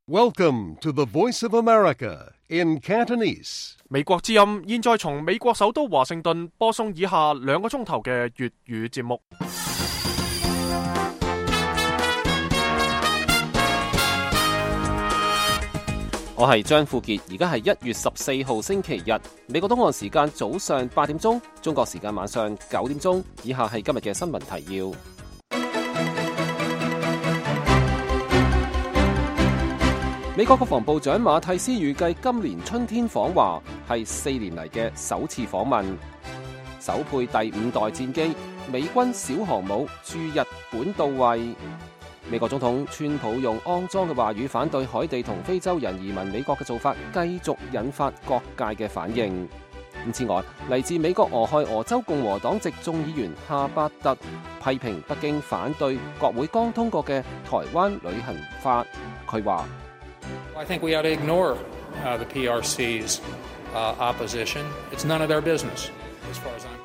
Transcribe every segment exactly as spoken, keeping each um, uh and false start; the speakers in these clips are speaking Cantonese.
Welcome to the Voice of America in Cantonese. 美國之音現在從美國首都華盛頓播送以下兩個鐘頭嘅粵語節目。我係張富傑，而家係一月十四號星期日，美國東岸時間早上八點鐘，中國時間晚上九點鐘。以下係今日嘅新聞提要。美國國防部長馬蒂斯預計今年春天訪華，係四年嚟嘅首次訪問。首配第五代戰機，美軍小航母駐日本到位。美國總統川普用骯髒嘅話語反對海地同非洲人移民美國嘅做法，繼續引發各界嘅反應。此外，嚟自美國俄亥俄州共和黨籍眾議員夏伯特批評北京反對國會剛通過嘅台灣旅行法。佢話I think we ought to ignore uh, the P R C's uh, opposition. It's none of their business.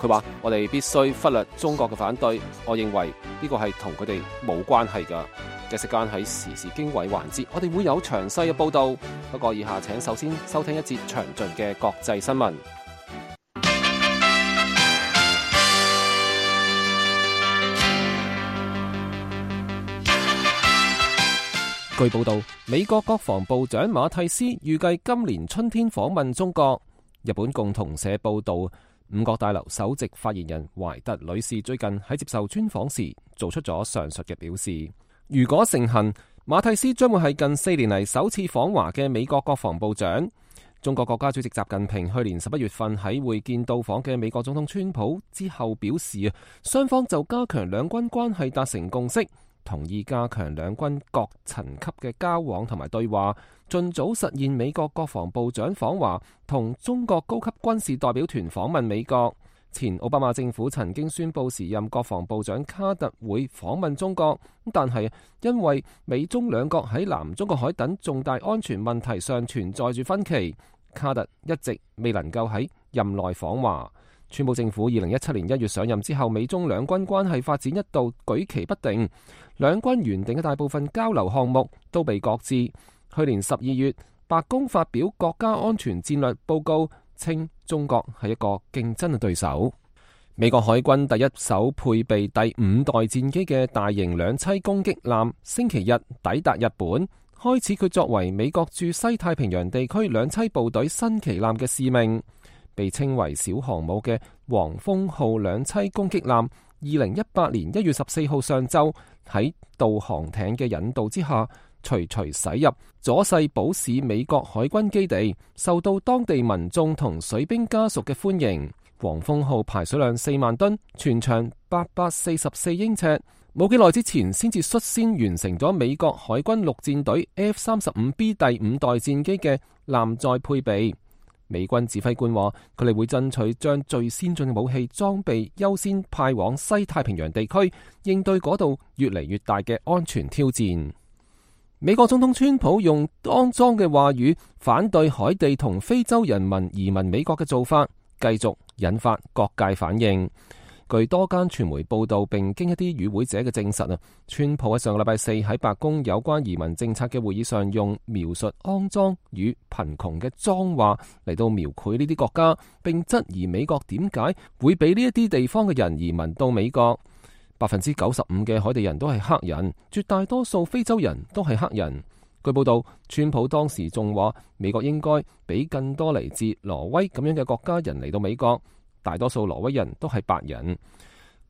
佢話我哋必須忽略中國嘅反對，我認為呢個係同佢哋冇關係㗎。嘅時間喺時事經緯環節，我哋會有詳細嘅報導。不過以下請首先收聽一節詳盡嘅國際新聞。據報道，美國國防部長馬蒂斯預計今年春天訪問中國。日本共同社報道，五角大樓首席發言人懷特女士最近喺接受專訪時做出咗上述嘅表示。如果成行，馬蒂斯將會係近四年嚟首次訪華嘅美國國防部長。中國國家主席習近平去年十一月份喺會見到訪嘅美國總統川普之後表示，雙方就加強兩軍關係達成共識，同意加強兩軍各層級嘅交往同埋對話，盡早實現美國國防部長訪華同中國高級軍事代表團訪問美國。前奧巴馬政府曾經宣布時任國防部長卡特會訪問中國，但係因為美中兩國喺南中國海等重大安全問題上存在住分歧，卡特一直未能夠喺任內訪華。川普政府二零一七年一月上任之後，美中兩軍關係發展一度舉棋不定，兩軍原定嘅大部分交流項目都被擱置。去年十二月，白宮發表國家安全戰略報告，稱中國係一個競爭嘅對手。美國海軍第一艘配備第五代戰機嘅大型兩棲攻擊艦星期日抵達日本，開始佢作為美國駐西太平洋地區兩棲部隊新旗艦嘅使命。被稱為小航母嘅黃蜂號兩棲攻擊艦，二零一八年一月十四號上晝喺導航艇嘅引導之下，徐徐駛入佐世保市美國海軍基地，受到當地民眾同水兵家屬嘅歡迎。黃蜂號排水量四萬噸，全長八百四十四英尺，冇幾耐之前先至率先完成咗美國海軍陸戰隊 F 三十五 B 第五代戰機嘅艦載配備。美軍指揮官話，佢哋會爭取將最先進嘅武器裝備優先派往西太平洋地區，應對嗰度越嚟越大嘅安全挑戰。美國總統川普用骯髒嘅話語反對海地同非洲人民移民美國嘅做法，繼續引發各界反應。據多間傳媒報道，並經一啲與會者嘅證實啊，川普喺上個禮拜四喺白宮有關移民政策嘅會議上，用描述骯髒與貧窮嘅髒話嚟到描繪呢啲國家，並質疑美國點解會俾呢一啲地方嘅人移民到美國。百分之九十五嘅海地人都係黑人，絕大多數非洲人都係黑人。據報道，川普當時仲話美國應該俾更多嚟自挪威咁樣嘅國家人嚟到美國。大多數挪威人都係白人。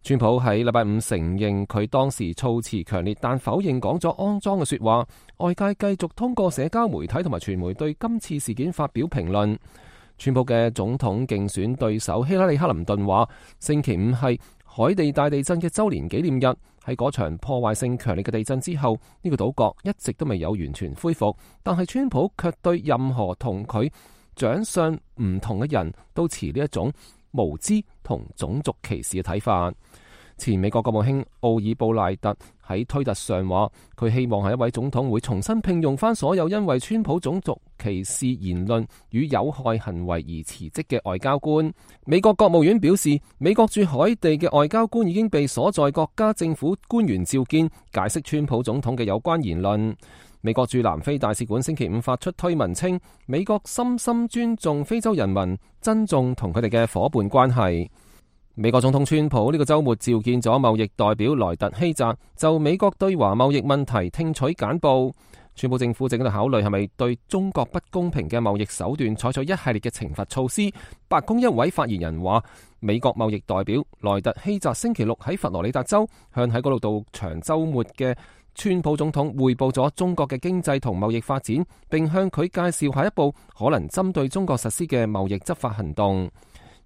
川普喺禮拜五承認佢當時措辭強烈，但否認講咗骯髒嘅說話。外界繼續通過社交媒體同埋傳媒對今次事件發表評論。川普嘅總統競選對手希拉里克林頓話，星期五係海地大地震嘅周年紀念日。喺嗰場破壞性強烈嘅地震之後，呢個島國一直都未有完全恢復。但係川普卻對任何同佢長相唔同嘅人都持呢一種無知同種族歧視嘅睇法。前美國國務卿奧爾布賴特喺推特上話，佢希望係一位總統會重新聘用翻所有因為川普種族歧視言論與有害行為而辭職嘅外交官。美國國務院表示，美國駐海地嘅外交官已經被所在國家政府官員召見，解釋川普總統嘅有關言論。美國駐南非大使館星期五發出推文稱，美國深深尊重非洲人民，珍重同佢哋嘅夥伴關係。美國總統川普呢個週末召見咗貿易代表萊特希澤，就美國對華貿易問題聽取簡報。川普政府正喺度考慮係咪對中國不公平嘅貿易手段採取一系列嘅懲罰措施。白宮一位發言人話，美國貿易代表萊特希澤星期六喺佛羅里達州向喺嗰度度長週末嘅川普總統匯報咗中國嘅經濟同貿易發展，並向佢介紹下一步可能針對中國實施嘅貿易執法行動。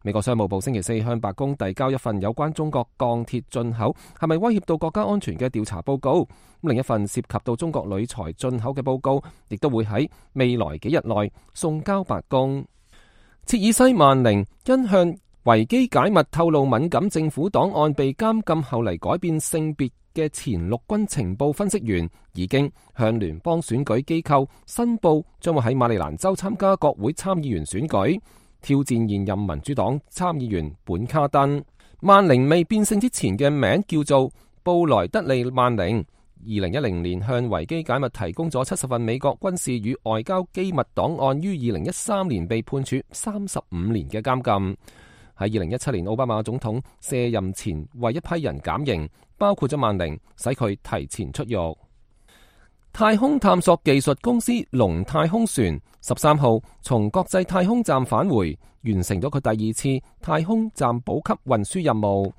美國商務部星期四向白宮遞交一份有關中國鋼鐵進口係咪威脅到國家安全嘅調查報告。另一份涉及到中國鋁材進口嘅報告，亦都會喺未來幾日內送交白宮。切爾西曼寧因向維基解密透露敏感政府檔案被監禁後嚟改變性別嘅前陸軍情報分析員，已經向聯邦選舉機構申報將會喺馬里蘭州參加國會參議員選舉，挑戰現任民主黨參議員本卡登。曼寧未變性之前嘅名叫做布萊德利曼寧，二零一零年向維基解密提供咗七十份美國軍事與外交機密檔案，於二零一三年被判處三十五年嘅監禁。喺二零一七年奧巴馬總統卸任前為一批人減刑，包括咗曼寧，使佢提前出獄。太空探索技術公司龍太空船十三號從國際太空站返回，完成咗佢第二次太空站補給運輸任務。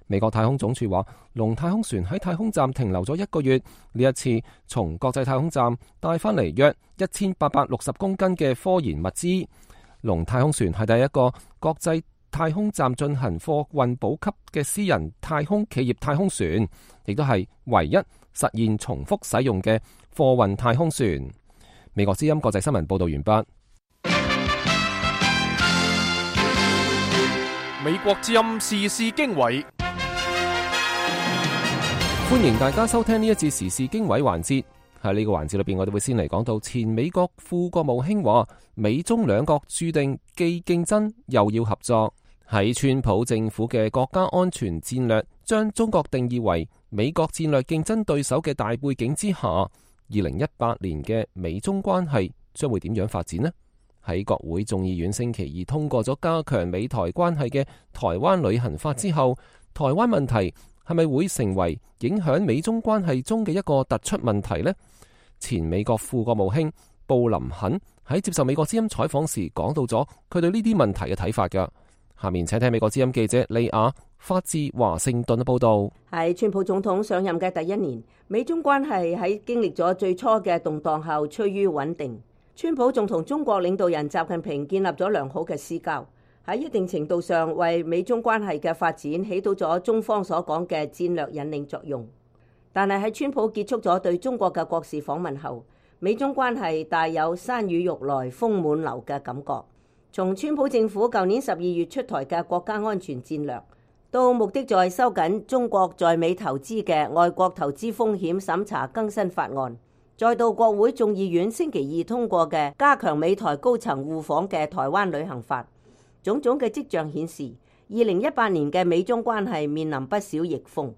美國太空總署話，龍太空船喺太空站停留咗一個月，呢一次從國際太空站帶翻嚟約一千八百六十公斤嘅科研物資。龍太空船係第一個國際太空站進行貨運補給嘅私人太空企業太空船，亦都係唯一實現重複使用嘅貨運太空船。美國之音國際新聞報道完畢。美國之音時事經緯，歡迎大家收聽呢一節時事經緯環節。喺呢個環節裏邊，我哋會先嚟講到前美國副國務卿話，美中兩國注定既競爭又要合作。喺川普政府嘅國家安全戰略將中國定義為美國戰略競爭對手嘅大背景之下，二零一八年嘅美中關係將會點樣發展呢？喺國會眾議院星期二通過咗加強美台關係嘅台灣旅行法之後，台灣問題係咪會成為影響美中關係中嘅一個突出問題呢？前美國副國務卿布林肯喺接受美國之音採訪時講到咗佢對呢啲問題嘅睇法㗎。下面請聽美國之音記者利亞發自華盛頓嘅報道。喺川普總統上任嘅第一年，美中關係喺經歷咗最初嘅動盪後趨於穩定。川普仲同中國領導人習近平建立咗良好嘅私交，喺一定程度上為美中關係嘅發展起到咗中方所講嘅戰略引領作用。但係喺川普結束咗對中國嘅國事訪問後，美中關係帶有山雨欲來風滿樓嘅感覺。從川普政府舊年十二月出台嘅國家安全戰略，到目的在收緊中國在美投資嘅外國投資風險審查更新法案，再到國會眾議院星期二通過嘅加強美台高層互訪嘅台灣旅行法，種種嘅跡象顯示，二零一八年嘅美中關係面臨不少逆風。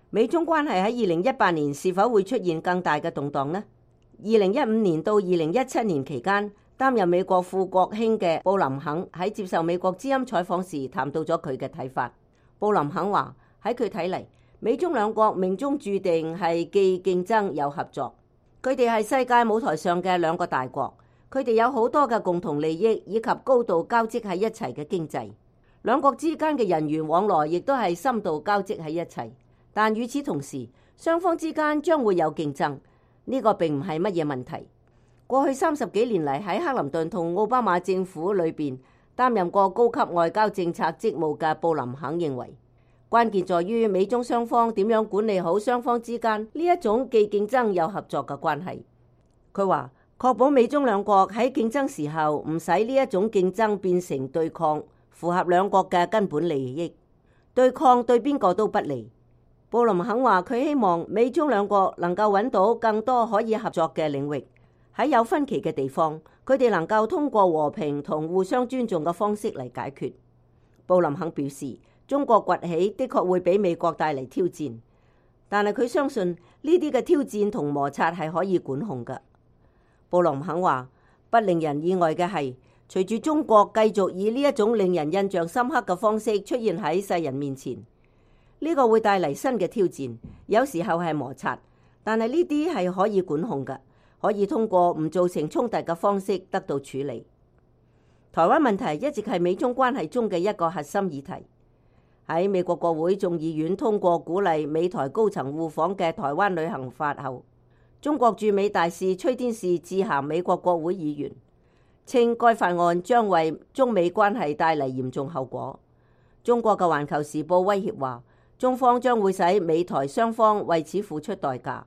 美中關係喺二零一八年是否會出現更大嘅動盪呢？二零一五年到二零一七年期間，擔任美國副國卿嘅布林肯喺接受美國之音採訪時談到咗佢嘅睇法。布林肯話，喺佢睇嚟，美中兩國命中注定係既競爭又合作。佢哋係世界舞台上嘅兩個大國，佢哋有好多嘅共同利益以及高度交織喺一齊嘅經濟。兩國之間嘅人員往來亦都係深度交織喺一齊。但與此同時，雙方之間將會有競爭，呢個並唔係乜嘢問題。過去三十幾年嚟，喺克林頓同奧巴馬政府裏邊擔任過高級外交政策職務嘅布林肯認為，關鍵在於美中雙方點樣管理好雙方之間呢一種既競爭又合作嘅關係。佢話確保美中兩國喺競爭時候唔使呢一種競爭變成對抗，符合兩國嘅根本利益。對抗對邊個都不利。布林肯話佢希望美中兩國能夠揾到更多可以合作嘅領域，喺有分歧嘅地方，佢哋能夠通過和平同互相尊重嘅方式嚟解決。布林肯表示，中國崛起的確會俾美國帶嚟挑戰，但係佢相信呢啲嘅挑戰同摩擦係可以管控嘅。布林肯話，不令人意外嘅係，隨住中國繼續以呢一種令人印象深刻嘅方式出現喺世人面前，呢個會帶嚟新嘅挑戰，有時候係摩擦，但係呢啲係可以管控嘅，可以通過唔造成衝突嘅方式得到處理。台灣問題一直係美中關係中嘅一個核心議題。喺美國國會眾議院通過鼓勵美台高層互訪嘅台灣旅行法後，中國駐美大使崔天士致函美國國會議員，稱該法案將為中美關係帶嚟嚴重後果。中國嘅《環球時報》威脅話，中方將會使美台雙方為此付出代價。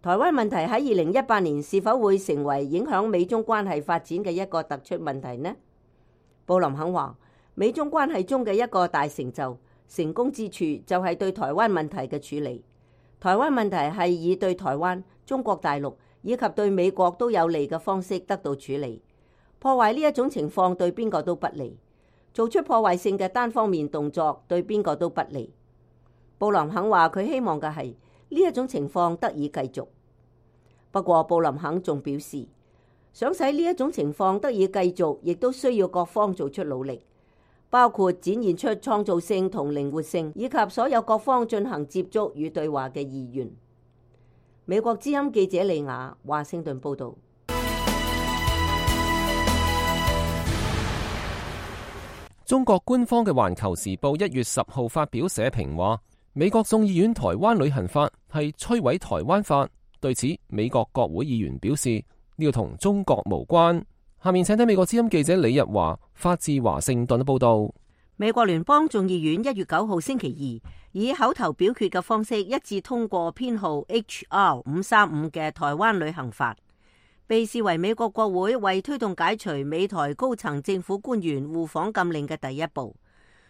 台灣問題喺二零一八年是否會成為影響美中關係發展嘅一個突出問題呢？布林肯話，美中關係中嘅一個大成就、成功之處就係對台灣問題嘅處理。台灣問題係以對台灣、中國大陸以及對美國都有利嘅方式得到處理。破壞呢一種情況對邊個都不利，做出破壞性嘅單方面動作對邊個都不利。布林肯話佢希望嘅係呢一種情況得以繼續。不過布林肯仲表示，想使呢一種情況得以繼續，亦都需要各方做出努力，包括展現出創造性同靈活性，以及所有各方進行接觸與對話嘅意願。美國之音記者李雅華盛頓報道。中國官方嘅《環球時報》一月十號發表社評話，美國眾議院台灣旅行法係摧毀台灣法。對此，美國國會議員表示呢個同中國無關。下面請睇美國之音記者李日華發自華盛頓嘅報道。美國聯邦眾議院一月九號星期二以口頭表決嘅方式一致通過編號 H R 五三五嘅台灣旅行法，被視為美國國會為推動解除美台高層政府官員互訪禁令嘅第一步。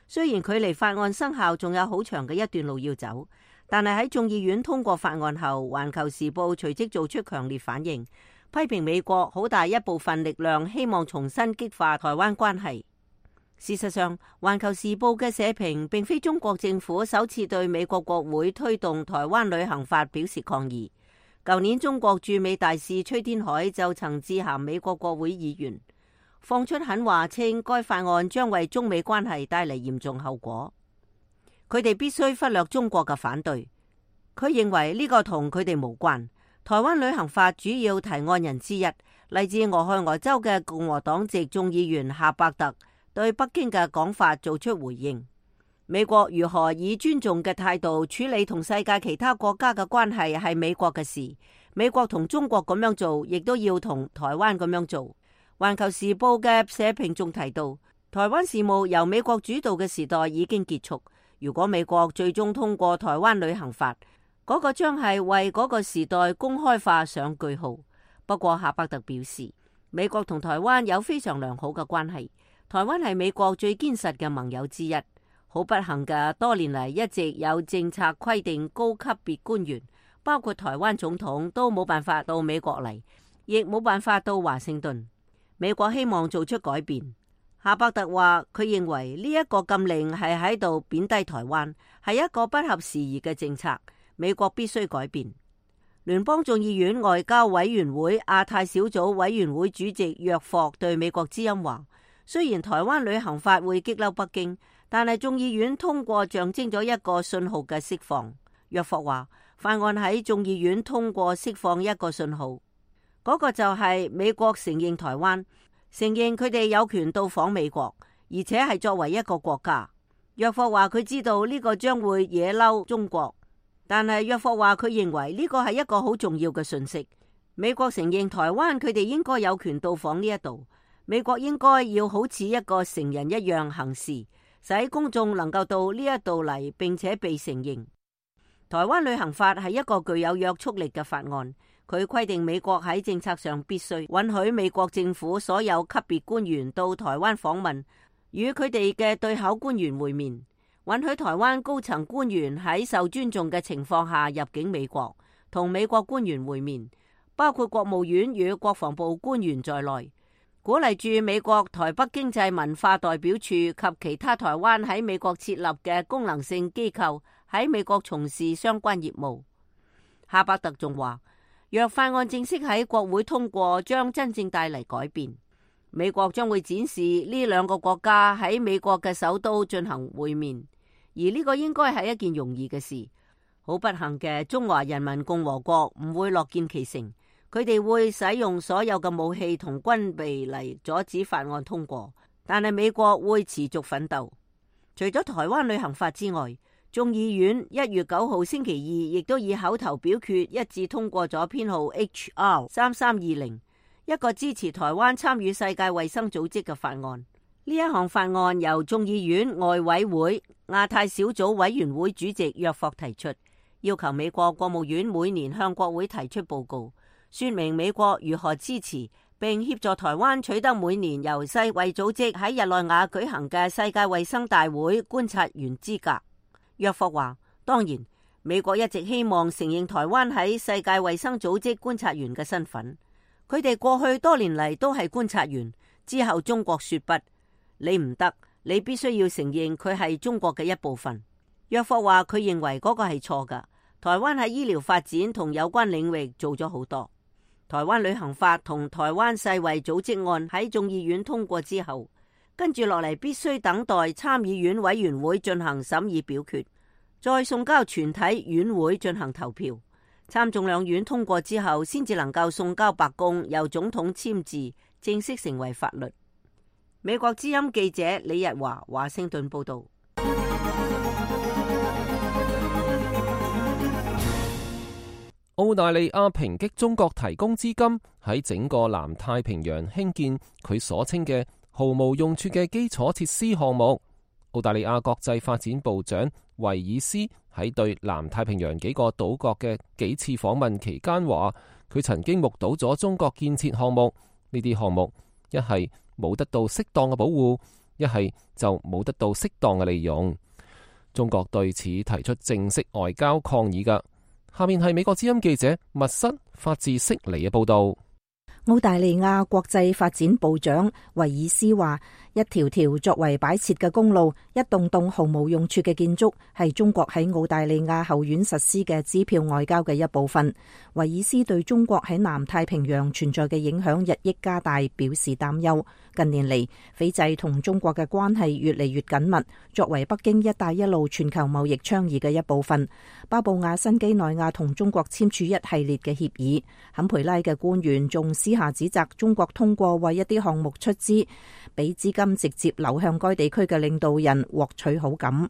雖然距離法案生效仲有好長嘅一段路要走，但係喺眾議院通過法案後，《環球時報》隨即做出強烈反應，批評美國好大一部分力量希望重新激化台灣關係。事實上，《環球時報》嘅社評並非中國政府首次對美國國會推動台灣旅行法表示抗議。舊年中國駐美大使崔天凱就曾致函美國國會議員，放出狠話，稱該法案將為中美關係帶嚟嚴重後果。佢哋必須忽略中國嘅反對。佢認為呢個同佢哋無關。台灣旅行法主要提案人之一，嚟自俄亥俄州嘅共和黨籍眾議員夏伯特對北京嘅講法做出回應。美國如何以尊重嘅態度處理同世界其他國家嘅關係係美國嘅事。美國同中國咁樣做，亦都要同台灣咁樣做。環球時報嘅社評仲提到，台灣事務由美國主導嘅時代已經結束。如果美國最終通過台灣旅行法，嗰個將係為嗰個時代公開化上句號。不過夏伯特表示，美國同台灣有非常良好嘅關係，台灣係美國最堅實嘅盟友之一。好不幸嘅，多年嚟一直有政策規定高級別官員，包括台灣總統，都冇辦法到美國嚟，亦冇辦法到華盛頓。美國希望做出改變。夏伯特話，佢認為呢一個禁令係喺度貶低台灣，係一個不合時宜嘅政策。美國必須改變。聯邦眾議院外交委員會亞太小組委員會主席約霍對美國之音話，雖然台灣旅行法會激嬲北京，但係眾議院通過象徵咗一個信號嘅釋放。約霍話，法案喺眾議院通過釋放一個信號，嗰個就係美國承認台灣，承認佢哋有權到訪美國，而且係作為一個國家。約霍話佢知道呢個將會惹嬲中國，但係約霍話佢認為呢個係一個好重要嘅訊息。美國承認台灣，佢哋應該有權到訪呢一度。美國應該要好似一個成人一樣行事，使公眾能夠到呢一度嚟，並且被承認。台灣旅行法係一個具有約束力嘅法案。佢規定美國喺政策上必須允許美國政府所有級別官員到台灣訪問，與佢哋嘅對口官員會面，允許台灣高層官員喺受尊重嘅情況下入境美國，同美國官員會面，包括國務院與國防部官員在內，鼓勵駐美國台北經濟文化代表處及其他台灣喺美國設立嘅功能性機構喺美國從事相關業務。哈伯特仲話，若法案正式喺國會通過，將真正帶嚟改變。美國將會展示呢兩個國家喺美國嘅首都進行會面，而呢個應該係一件容易嘅事。好不幸嘅，中華人民共和國唔會樂見其成，佢哋會使用所有嘅武器同軍備嚟阻止法案通過。但係美國會持續奮鬥。除咗台灣旅行法之外，眾議院一月九號星期二亦都以口頭表決一致通過咗編號 H R 三三二零，一個支持台灣參與世界衛生組織嘅法案。呢一項法案由眾議院外委會亞太小組委員會主席約霍提出，要求美國國務院每年向國會提出報告，說明美國如何支持並協助台灣取得每年由世衛組織喺日內瓦舉行嘅世界衛生大會觀察員資格。約霍話，當然，美國一直希望承認台灣喺世界衛生組織觀察員嘅身份。佢哋過去多年嚟都係觀察員。之後中國說不，你唔得，你必須要承認佢係中國嘅一部分。約霍話佢認為嗰個係錯㗎。台灣喺醫療發展同有關領域做咗好多。台灣旅行法同台灣世衛組織案喺眾議院通過之後，跟住落嚟必須等待參議院委員會進行審議表決，再送交全體院會進行投票。參眾兩院通過之後，先至能夠送交白宮，由總統簽字，正式成為法律。美國之音記者李日華華盛頓報道。澳大利亞抨擊中國提供資金喺整個南太平洋興建佢所稱嘅毫無用處嘅基礎設施項目。澳大利亞國際發展部長維爾斯喺對南太平洋幾個島國嘅幾次訪問期間話，佢曾經目睹咗中國建設項目，呢啲項目一係冇得到適當嘅保護，一係就冇得到適當嘅利用。中國對此提出正式外交抗議㗎。下面係美國之音記者密室發自悉尼嘅報道。澳大利亞國際發展部長維爾斯話，一條條作為擺設嘅公路，一棟棟毫無用處嘅建築，係中國喺澳大利亞後院實施嘅支票外交嘅一部分。維爾斯對中國喺南太平洋存在嘅影響日益加大表示擔憂。近年嚟，斐濟同中國嘅關係越嚟越緊密，作為北京一帶一路全球貿易倡議嘅一部分，巴布亞新幾內亞同中國簽署一系列嘅協議。坎培拉嘅官員仲私下指責中國通過為一啲項目出資，俾資金直接流向該地區嘅領導人獲取好感。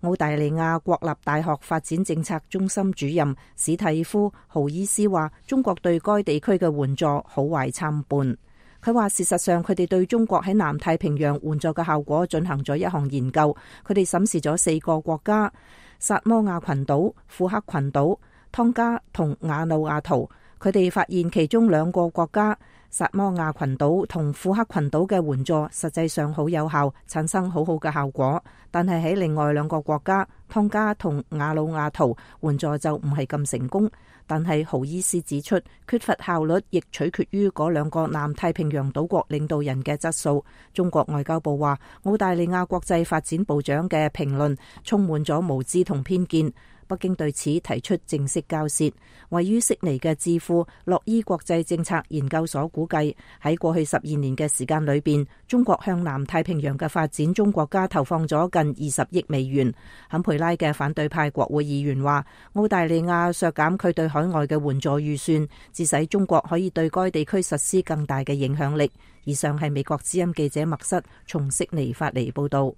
澳大利亞國立大學發展政策中心主任史蒂夫豪伊斯話，中國對該地區嘅援助好壞參半。佢話事實上，佢哋對中國喺南太平洋援助嘅效果進行咗一項研究。佢哋審視咗四個國家：薩摩亞群島、庫克群島、湯加同瓦努阿圖。佢哋發現其中兩個國家薩摩亞群島同庫克群島嘅援助實際上好有效，產生好好嘅效果。但係喺另外兩個國家湯加同瓦努阿圖，援助就唔係咁成功。但係豪伊斯指出，缺乏效率亦取決於嗰兩個南太平洋島國領導人嘅質素。中國外交部話，澳大利亞國際發展部長嘅評論充滿咗無知同偏見。北京對此提出正式交涉。位於悉尼嘅智庫洛伊國際政策研究所估計，喺過去十二年嘅時間裏邊，中國向南太平洋嘅發展中國家投放咗近二十億美元。坎培拉嘅反對派國會議員話，澳大利亞削減佢對海外嘅援助預算，致使中國可以對該地區實施更大嘅影響力。以上係美國之音記者麥瑟從悉尼發嚟報道。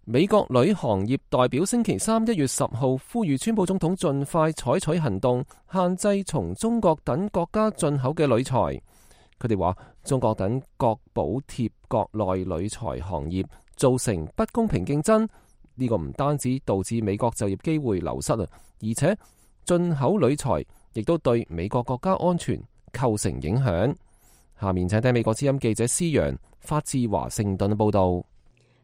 美國旅行業代表星期三一月十號呼籲川普總統盡快採取行動，限制從中國等國家進口嘅鋁材。佢哋話，中國等國補貼國內鋁材行業，造成不公平競爭。呢個唔單止導致美國就業機會流失啊，而且進口鋁材亦都對美國國家安全構成影響。下面請聽美國之音記者施陽發自華盛頓嘅報道。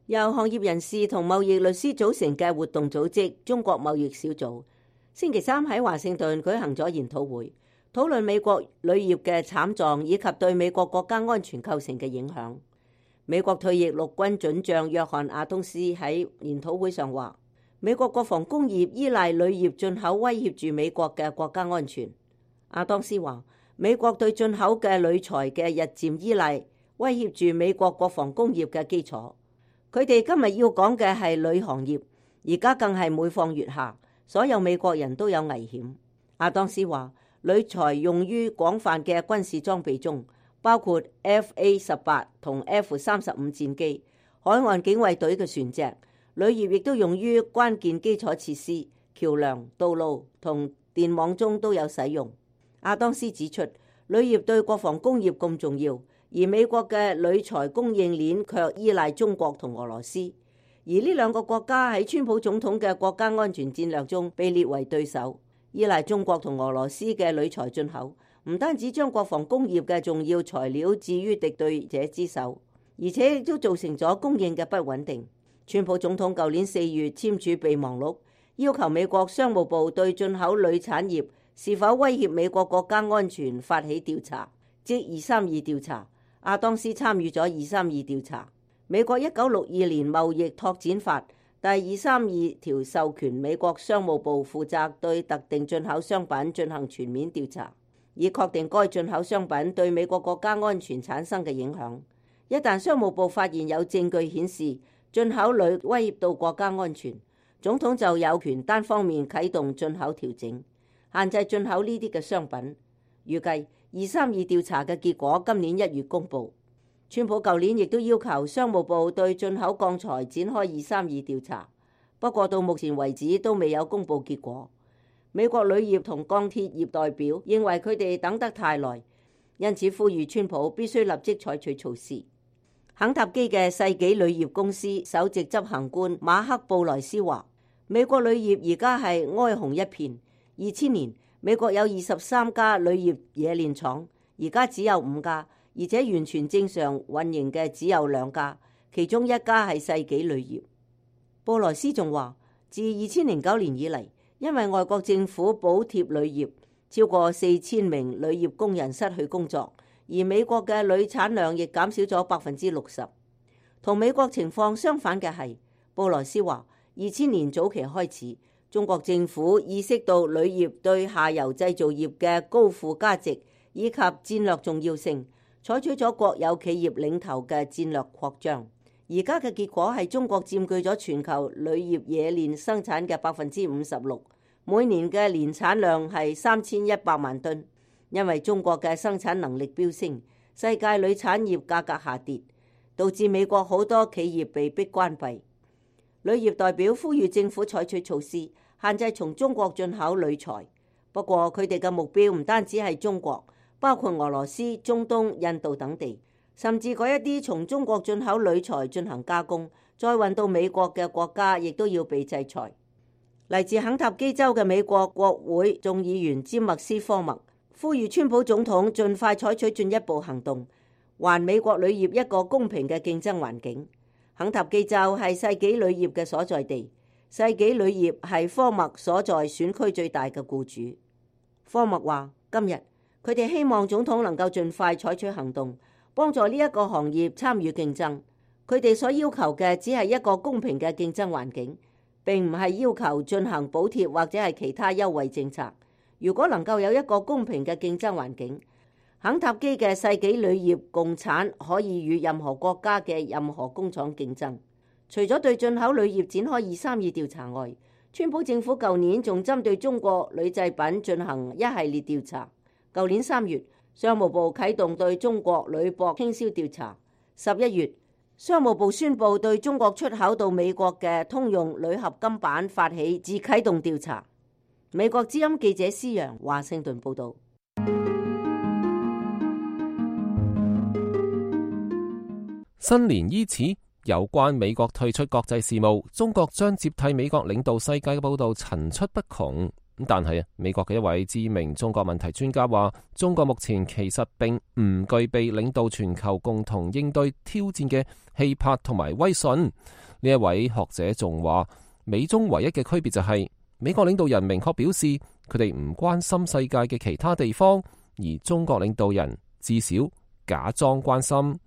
由行業人士同貿易律師組成嘅活動組織中國貿易小組，星期三喺華盛頓舉行咗研討會，討論美國鋁業嘅慘狀以及對美國國家安全構成嘅影響。美國退役陸軍准將約翰亞東斯喺研討會上話，美國國防工業依賴鋁業進口威脅住美國嘅國家安全。亞當斯話，美國對進口嘅鋁材嘅日漸依賴威脅住美國國防工業嘅基礎。佢哋今日要講嘅係鋁行業，而家更係每況愈下，所有美國人都有危險。亞當斯話，鋁材用於廣泛嘅軍事裝備中，包括 F A 十八同 F 三十五戰機、海岸警衛隊嘅船隻。鋁業亦都用於關鍵基礎設施、橋梁、道路同電網中都有使用。亞當斯指出，鋁業對國防工業咁重要，而美國嘅鋁材供應鏈卻依賴中國同俄羅斯，而呢兩個國家喺川普總統嘅國家安全戰略中被列為對手。依賴中國同俄羅斯嘅鋁材進口，唔單止將國防工業嘅重要材料置於敵對者之手，而且亦都造成咗供應嘅不穩定。川普總統舊年四月簽署備忘錄，要求美國商務部對進口鋁產業是否威脅美國國家安全發起調查，即二三二調查。亞當斯參與咗二三二調查。美國一九六二年貿易拓展法第二三二條授權美國商務部負責對特定進口商品進行全面調查，以確定該進口商品對美國國家安全產生嘅影響。一旦商務部發現有證據顯示進口鋁威脅到國家安全，總統就有權單方面啟動進口調整，限制進口呢啲嘅商品。預計二三二調查嘅結果今年一月公佈。川普舊年亦都要求商務部對進口鋼材展開二三二調查，不過到目前為止都未有公佈結果。美國鋁業同鋼鐵業代表認為佢哋等得太耐，因此呼籲川普必須立即採取措施。肯塔基嘅世紀鋁業公司首席執行官馬克布萊斯話，美國鋁業而家係哀鴻一片。二千年美國有二十三家鋁業冶煉廠，而家只有五家，而且完全正常運營嘅只有兩家，其中一家係世紀鋁業。布萊斯仲話，自二千零九年以嚟，因為外國政府補貼鋁業，超過四千名鋁業工人失去工作。而美國嘅鋁產量亦減少咗百分之六十。同美國情況相反嘅係，布萊斯話，二千年早期開始，中國政府意識到鋁業對下游製造業嘅高附加值以及戰略重要性，採取咗國有企業領頭嘅戰略擴張。而家嘅結果係中國佔據咗全球鋁業冶煉生產嘅百分之五十六，每年嘅年產量係三千一百萬噸。因為中國嘅生產能力飆升，世界鋁產業價格下跌，導致美國好多企業被迫關閉。鋁業代表呼籲政府採取措施，限制從中國進口鋁材。不過佢哋嘅目標唔單止係中國，包括俄羅斯、中東、印度等地，甚至嗰一啲從中國進口鋁材進行加工，再運到美國嘅國家，亦都要被制裁。嚟自肯塔基州嘅美國國會眾議員詹默斯科默呼籲川普總統盡快採取進一步行動，還美國鋁業一個公平嘅競爭環境。肯塔基州係世紀鋁業嘅所在地，世紀鋁業係科默所在選區最大嘅僱主。科默話，今日佢哋希望總統能夠盡快採取行動，幫助呢一個行業參與競爭。佢哋所要求嘅只係一個公平嘅競爭環境，並唔係要求進行補貼或者係其他優惠政策。如果能夠有一個公平嘅競爭環境，肯塔基嘅世紀鋁業共產可以與任何國家嘅任何工廠競爭。除咗對進口鋁業展開二三二調查外，川普政府舊年仲針對中國鋁製品進行一系列調查。舊年三月，商務部啟動對中國鋁箔傾銷調查。十一月，商務部宣布對中國出口到美國嘅通用鋁合金板發起自啟動調查。美國之音記者施陽華盛頓報道。新年伊始，有關美國退出國際事務，中國將接替美國領導世界嘅報道層出不窮。但係啊，美國嘅一位知名中國問題專家話，中國目前其實並唔具備領導全球共同應對挑戰嘅氣魄同埋威信。呢一位學者仲話，美中唯一嘅區別就係、是，美國領導人明確表示佢哋唔關心世界嘅其他地方，而中國領導人至少假裝關心。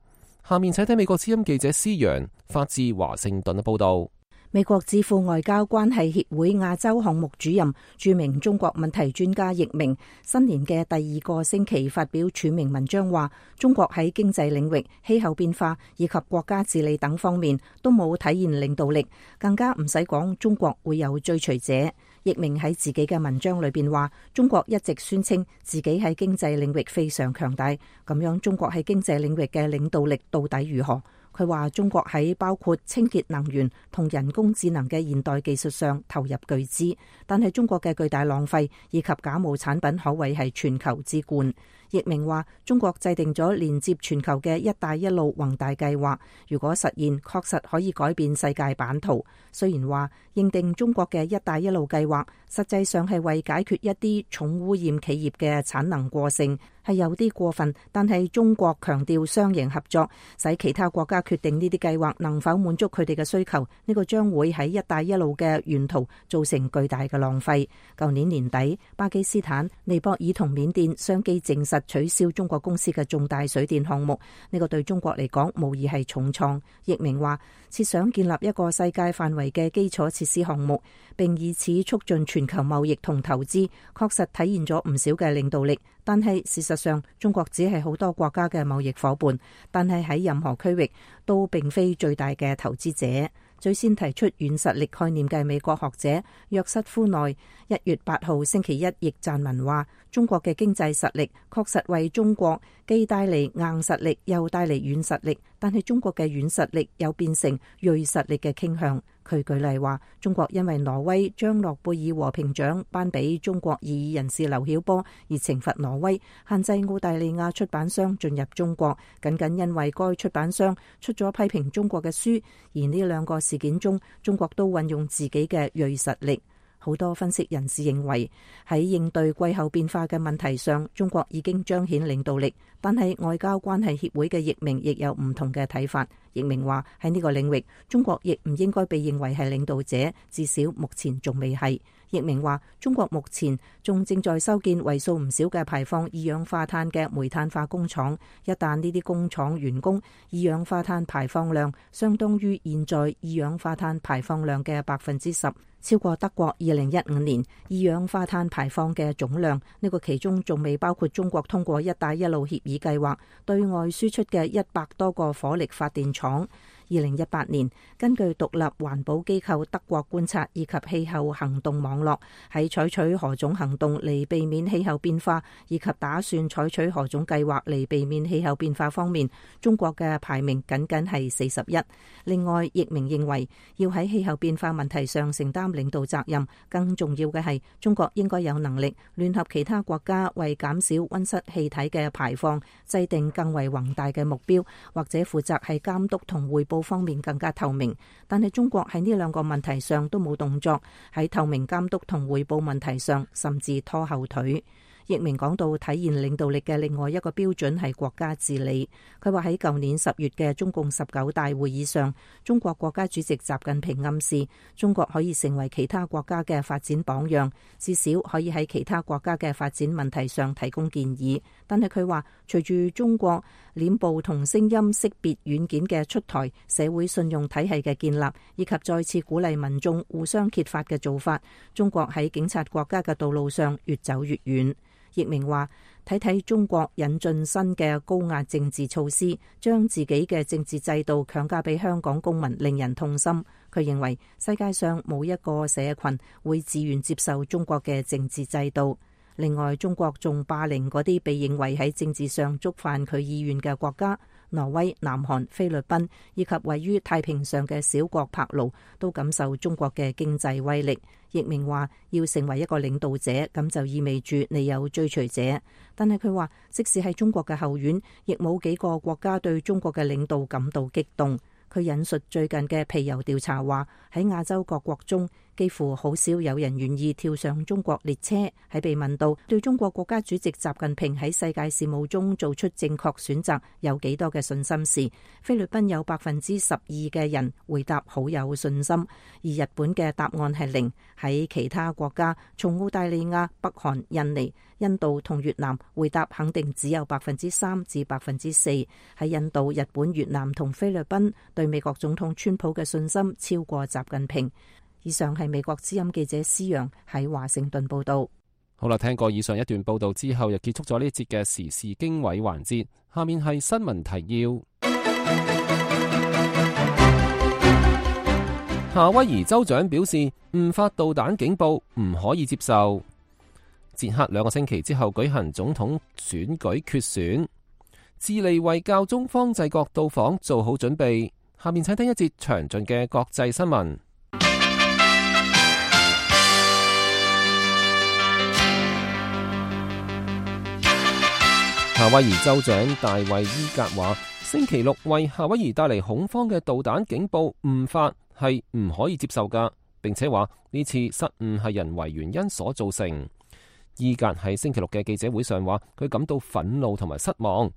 下面請睇美國之音記者施陽發自華盛頓嘅報道。美國智庫外交關係協會亞洲項目主任、著名中國問題專家易明，新年嘅第二個星期發表署名文章話，中國喺經濟領域、氣候變化以及國家治理等方面都冇體現領導力，更加唔使講中國會有追隨者。易明喺自己嘅文章裏邊話，中國一直宣稱自己喺經濟領域非常強大，咁樣中國喺經濟領域嘅領導力到底如何？佢話中國喺包括清潔能源同人工智能嘅現代技術上投入巨資，但係中國嘅巨大浪費以及假冒產品可謂係全球之冠。易明話中國制定咗連接全球嘅一帶一路宏大計劃，如果實現確實可以改變世界版圖。雖然話認定中國嘅一帶一路計劃實際上係為解決一啲重污染企業嘅產能過剩，係有啲過分，但係中國強調雙贏合作，使其他國家決定呢啲計劃能否滿足佢哋嘅需求，呢個將會喺一帶一路嘅沿途造成巨大嘅浪費。舊年年底，巴基斯坦、尼泊爾同緬甸相繼證實取消中國公司嘅重大水電項目，呢個對中國嚟講無疑係重創。易明話設想建立一個世界範圍嘅基礎設施項目，並以此促進全球貿易同投資，確實體現咗唔少嘅領導力。但係事實上，中國只係好多國家嘅貿易夥伴，但係喺任何區域都並非最大嘅投資者。最先提出軟實力概念嘅美國學者約瑟夫內一月八號星期一亦撰文話，中國嘅經濟實力確實為中國既帶嚟硬實力又帶嚟軟實力，但係中國嘅軟實力又變成銳實力嘅傾向。佢舉例話，中國因為挪威將諾貝爾和平獎頒俾中國異議人士劉曉波而懲罰挪威，限制澳大利亞出版商進入中國，僅僅因為該出版商出咗批評中國嘅書。而呢兩個事件中，中國都運用自己嘅銳實力。好多分析人士認為，喺應對季候變化嘅問題上，中國已經彰顯領導力。但係外交關係協會嘅易明亦有唔同嘅睇法。易明話喺呢個領域，中國亦唔應該被認為係領導者，至少目前仲未係。易明話中國目前仲正在修建為數唔少嘅排放二氧化碳嘅煤炭化工廠，一旦呢啲工廠完工，二氧化碳排放量相當於現在二氧化碳排放量嘅百分之十，超過德國二零一五年二氧化碳排放嘅總量。呢個其中仲未包括中國通過一帶一路協議計劃對外輸出嘅一百多個火力發電廠。二零一八年，根據獨立環保機構德國觀察以及氣候行動網絡，喺採取何種行動嚟避免氣候變化，以及打算採取何種計劃嚟避免氣候變化方面，中國嘅排名僅僅係四十一。另外，易明認為要喺氣候變化問題上承擔領導責任，更重要嘅係中國應該有能力聯合其他國家為減少溫室氣體嘅排放制定更為宏大嘅目標，或者負責係監督同匯報方面更加透明。但係中國喺呢兩個問題上都冇動作，喺透明監督同匯報問題上甚至拖後腿。易明講到體現領導力嘅另外一個標準係國家治理。佢話喺舊年十月嘅中共十九大會議上，中國國家主席習近平暗示中國可以成為其他國家嘅發展榜樣，至少可以喺其他國家嘅發展問題上提供建議。但係佢話隨住中國臉部同聲音識別軟件嘅出台，社會信用體系嘅建立，以及再次鼓勵民眾互相揭發嘅做法，中國喺警察國家嘅道路上越走越遠。易明話睇睇中國引進新嘅高壓政治措施，將自己嘅政治制度強加俾香港公民，令人痛心。佢認為世界上冇一個社群會自願接受中國嘅政治制度。另外，中國仲霸凌嗰啲被認為喺政治上觸犯佢意願嘅國家，挪威、南韓、菲律賓以及位於太平洋嘅小國帕勞都感受中國嘅經濟威力。易明話要成為一個領導者，咁就意味住你有追隨者。但係佢話即使係中國嘅後院，亦冇幾個國家對中國嘅領導感到激動。佢引述最近嘅皮尤調查話，喺亞洲各國中，幾乎好少有人願意跳上中國列車。喺被問到對中國國家主席習近平喺世界事務中做出正確選擇有幾多嘅信心時，菲律賓有百分之十二嘅人回答好有信心，而日本嘅答案係零。喺其他國家，從澳大利亞、北韓、印尼、印度同越南，回答肯定只有百分之三至百分之四。喺印度、日本、越南同菲律賓，對美國總統川普嘅信心超過習近平。以上係美國之音記者施陽喺華盛頓報道。好啦，聽過以上一段報道之後，又結束咗呢節嘅時事經緯環節。下面係新聞提要。夏威夷州長表示，誤發導彈警報唔可以接受。捷克兩個星期之後舉行總統選舉決選。智利為教宗方濟各到訪做好準備。下面請聽一節詳盡嘅國際新聞。夏威夷州長大衛伊格話，星期六為夏威夷帶嚟恐慌嘅導彈警報誤發係唔可以接受噶，並且話呢次失誤係人為原因所造成。伊格喺星期六嘅記者會上話，佢感到憤怒同埋失望。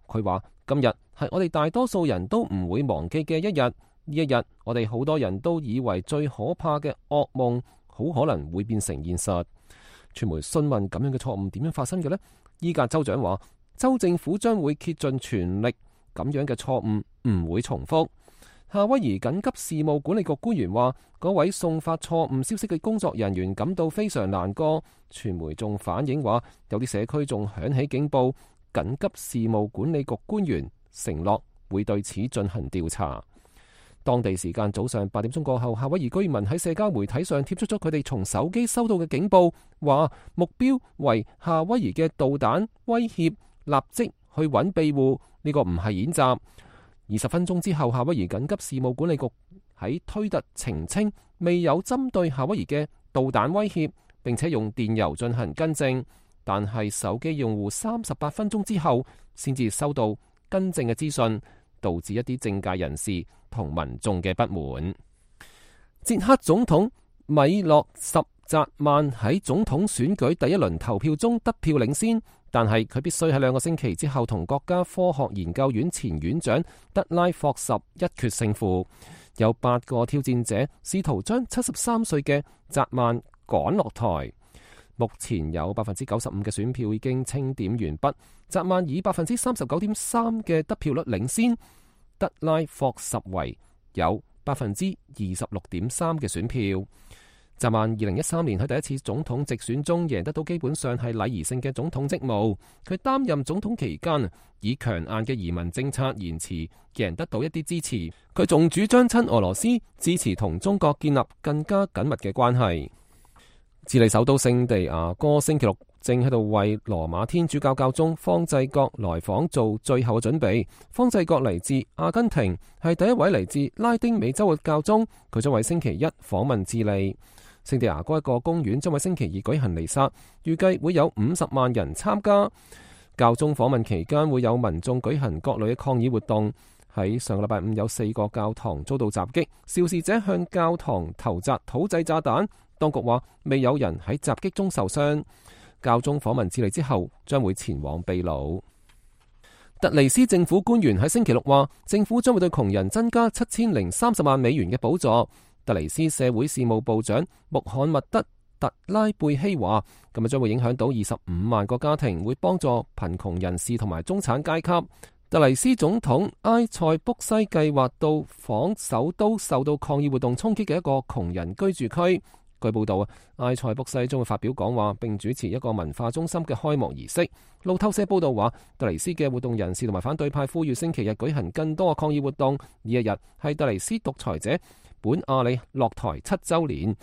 佢話今日係我哋大多數人都唔會忘記嘅一日，呢一日我哋好多人都以為最可怕嘅噩夢好可能會變成現實。傳媒詢問咁樣嘅錯誤點樣發生嘅呢？伊格州長話，州政府將會竭盡全力，咁樣嘅錯誤唔會重複。夏威夷緊急事務管理局官員話，嗰位送發錯誤消息嘅工作人員感到非常難過。傳媒仲反映話，有啲社區仲響起警報。緊急事務管理局官員承諾會對此進行調查。當地時間早上八點鐘過後，夏威夷居民喺社交媒體上貼出咗佢哋從手機收到嘅警報，話目標為夏威夷嘅導彈威脅，立即去揾庇護。呢個唔係演習。二十分鐘之後，夏威夷緊急事務管理局喺推特澄清未有針對夏威夷嘅導彈威脅，並且用電郵進行更正。但係手機用戶三十八分鐘之後先至收到更正嘅資訊，導致一啲政界人士同民眾嘅不滿。捷克總統米洛什澤曼喺總統選舉第一輪投票中得票領先，但係佢必須喺兩個星期之後同國家科學研究院前院長德拉霍什一決勝負。有八個挑戰者試圖將七十三歲嘅澤曼趕落台。目前有百分之九十五嘅選票已經清點完畢，澤曼以百分之三十九點三嘅得票率領先，德拉霍什為有百分之二十六點三嘅選票。澤曼二零一三年喺第一次總統直選中贏得到基本上係禮儀性嘅總統職務。佢擔任總統期間以強硬嘅移民政策言辭贏得到一啲支持。佢仲主張親俄羅斯，支持同中國建立更加緊密嘅關係。智利首都聖地亞哥星期六正喺度為羅馬天主教教宗方濟各來訪做最後嘅準備。方濟各嚟自阿根廷，係第一位嚟自拉丁美洲嘅教宗。佢將喺星期一訪問智利。聖地亞哥一個公園將喺星期二舉行彌撒，預計會有五十萬人參加。教宗訪問期間會有民眾舉行各類嘅抗議活動。喺上個禮拜五有四個教堂遭到襲擊，肇事者向教堂投擲土製炸彈。當局話未有人喺襲擊中受傷。教宗訪問智利之後，將會前往秘魯。特尼斯政府官員喺星期六話，政府將會對窮人增加七千零三十萬美元嘅補助。特尼斯社會事務部長穆罕默德特拉貝希話，咁啊將會影響到二十五萬個家庭，會幫助貧窮人士同埋中產階級。特尼斯總統埃塞卜西計劃到訪首都受到抗議活動衝擊嘅一個窮人居住區。據報道啊，埃塞卜西將會發表講話，並主持一個文化中心嘅開幕儀式。路透社報道話，特尼斯嘅活動人士同埋反對派呼籲星期日舉行更多嘅抗議活動。呢一日係特尼斯獨裁者本阿里落台七週年，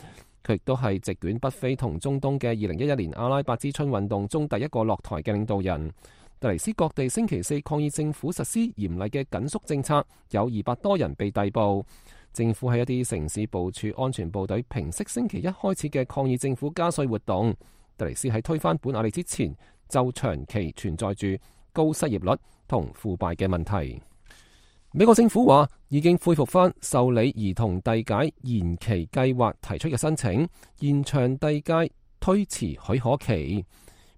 佢亦都係席捲北非同中東嘅二零一一年阿拉伯之春運動中第一個落台嘅領導人。特尼斯各地星期四抗議政府實施嚴厲嘅緊縮政策，有二百多人被逮捕。政府喺一啲城市部署安全部隊，平息星期一開始嘅抗議政府加稅活動。特尼斯喺推翻本阿里之前，就長期存在住高失業率同腐敗嘅問題。美國政府話已經恢復翻受理兒童遞解延期計劃提出嘅申請，延長遞解推遲許可期。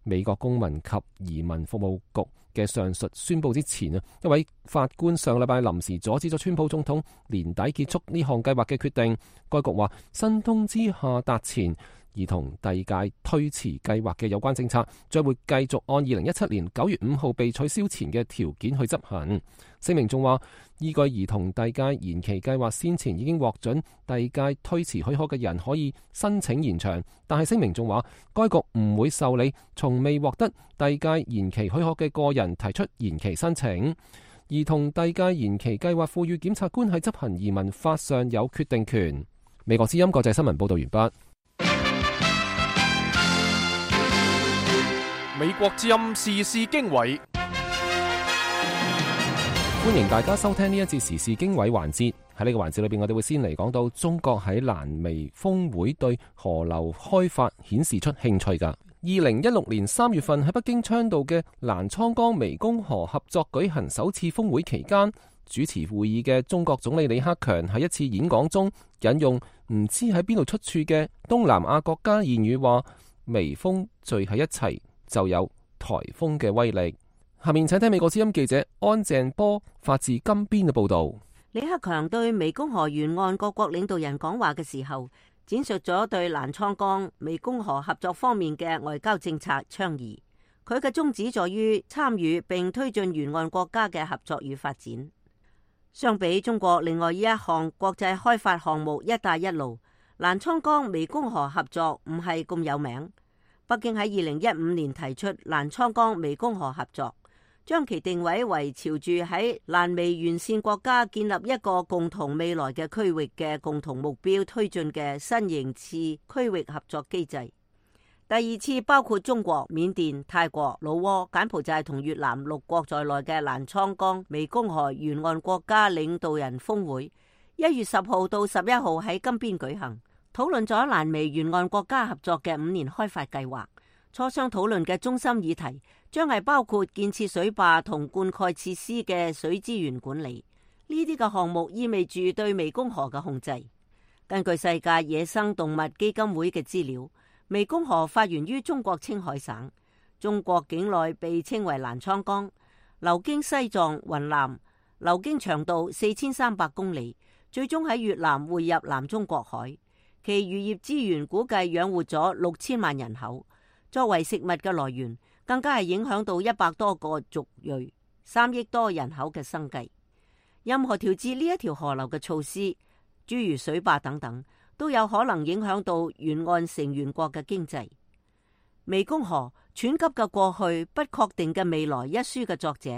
美國公民及移民服務局嘅上述宣佈之前啊，一位法官上禮拜臨時阻止咗川普總統年底結束呢項計劃嘅決定。該局話新通知下達前，兒童遞解推遲計劃嘅有關政策將會繼續按二零一七年九月五號被取消前嘅條件去執行。聲明仲話，依據兒童遞解延期計劃先前已經獲准遞解推遲許可嘅人可以申請延長，但係聲明仲話，該局唔會受理從未獲得遞解延期許可嘅個人提出延期申請。兒童遞解延期計劃賦予檢察官喺執行移民法上有決定權。美國之音國際新聞報道完畢。美國之音時事經緯，歡迎大家收聽呢一節時事經緯環節。喺呢個環節裏邊，我哋會先嚟講到中國喺瀾湄峰會對河流開發顯示出興趣噶。二零一六年三月份喺北京倡導嘅瀾滄江湄公河合作舉行首次峰會期間，主持會議嘅中國總理李克強喺一次演講中引用唔知喺邊度出處嘅東南亞國家諺語話：微風聚喺一齊就有颱風嘅威力。下面請聽美國之音記者安鄭波發自金邊嘅報道。李克強對湄公河沿岸各國領導人講話嘅時候，展述咗對瀾滄江湄公河合作方面嘅外交政策倡議。佢嘅宗旨在於參與並推進沿岸國家嘅合作與發展。相比中國另外一項國際開發項目一帶一路，瀾滄江湄公河合作唔係咁有名。北京喺二零一五年提出瀾滄江湄公河合作，將其定位為朝住喺瀾湄沿線國家建立一個共同未來嘅區域嘅共同目標推進嘅新型次區域合作機制。第二次包括中國、緬甸、泰國、老撾、柬埔寨同越南六國在內嘅瀾滄江湄公河沿岸國家領導人峰會，一月十號到十一號喺金邊舉行。討論咗瀾湄沿岸國家合作嘅五年開發計劃，磋商討論嘅中心議題將係包括建設水壩同灌溉設施嘅水資源管理。呢啲嘅項目意味住對湄公河嘅控制。根據世界野生動物基金會嘅資料，湄公河發源於中國青海省，中國境內被稱為瀾滄江，流經西藏、雲南，流經長度四千三百公里，最終喺越南匯入南中國海。其漁業資源估計養活咗六千萬人口，作為食物嘅來源，更加係影響到一百多個族裔、三億多人口嘅生計。任何調節呢一條河流嘅措施，諸如水壩等等，都有可能影響到沿岸成員國嘅經濟。湄公河湍急嘅過去，不確定嘅未來一書嘅作者，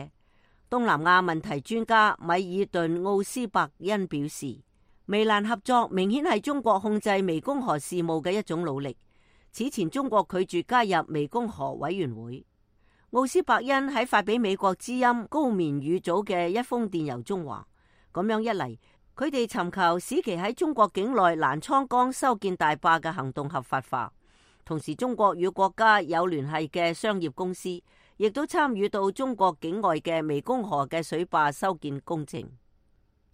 東南亞問題專家米爾頓奧斯伯恩表示，湄瀾合作明顯係中國控制湄公河事務嘅一種努力。此前中國拒絕加入湄公河委員會。奧斯伯恩喺發俾美國之音高棉語組嘅一封電郵中話，咁樣一嚟，佢哋尋求使其喺中國境內瀾滄江修建大壩嘅行動合法化。同時，中國與國家有聯繫嘅商業公司亦都參與到中國境外嘅湄公河嘅水壩修建工程。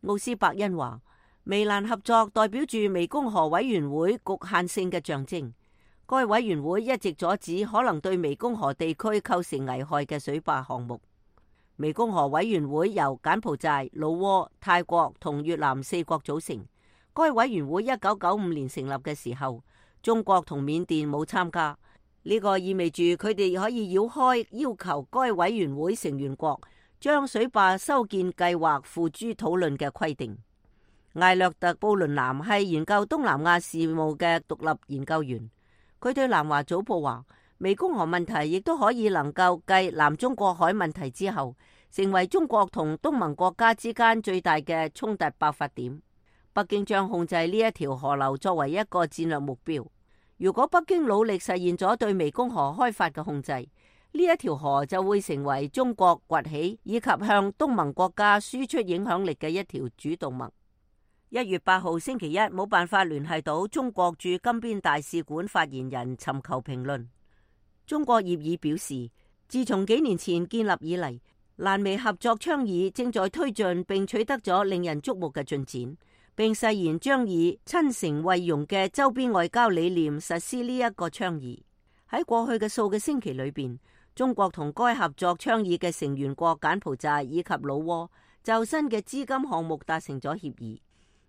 奧斯伯恩話，湄瀾合作代表住湄公河委員會局限性嘅象徵。該委員會一直阻止可能對湄公河地區構成危害嘅水壩項目。湄公河委員會由柬埔寨、老撾、泰國同越南四國組成。該委員會一九九五年成立嘅時候，中國同緬甸冇參加。呢個意味住佢哋可以繞開要求該委員會成員國將水壩修建計劃付諸討論嘅規定。艾略特·布倫南係研究東南亞事務嘅獨立研究員，佢對南華早報話，湄公河問題亦都可以能夠繼南中國海問題之後，成為中國同東盟國家之間最大嘅衝突爆發點。北京將控制呢一條河流作為一個戰略目標。如果北京努力實現咗對湄公河開發嘅控制，呢一條河就會成為中國崛起以及向東盟國家輸出影響力嘅一條主動脈。一月八號星期一，冇辦法聯繫到中國駐金邊大使館發言人尋求評論。中國業已表示，自從幾年前建立以嚟，瀾瀾美合作倡議正在推進並取得咗令人矚目嘅進展，並誓言將以親誠惠容嘅周邊外交理念實施呢一個倡議。喺過去嘅數個星期裏邊，中國同該合作倡議嘅成員國柬埔寨以及老撾就新嘅資金項目達成咗協議。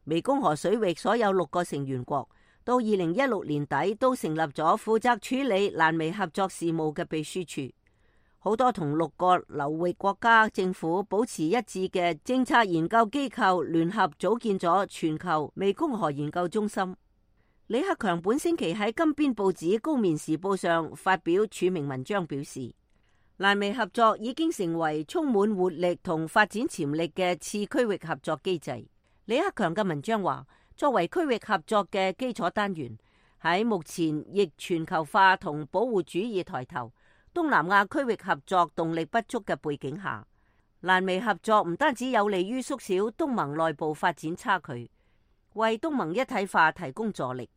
湄公河水域所有六個成員國到二零一六年底都成立咗負責處理瀾美合作事務嘅秘書處。好多同六個流域國家政府保持一致嘅政策研究機構聯合組建咗全球湄公河研究中心。李克強本星期喺金邊報紙《高棉時報》上發表署名文章，表示瀾美合作已經成為充滿活力同發展潛力嘅次區域合作機制。李克強嘅文章話，作為區域合作嘅基礎單元，喺目前逆全球化同保護主義抬頭、東南亞區域合作動力不足嘅背景下，瀾美合作唔單止有利於縮小東盟內部發展差距，為東盟一體化提供助力，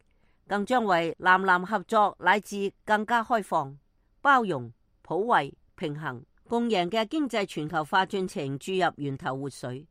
更將為南南合作乃至更加開放、包容、普惠、平衡、共贏嘅經濟全球化進程注入源頭活水。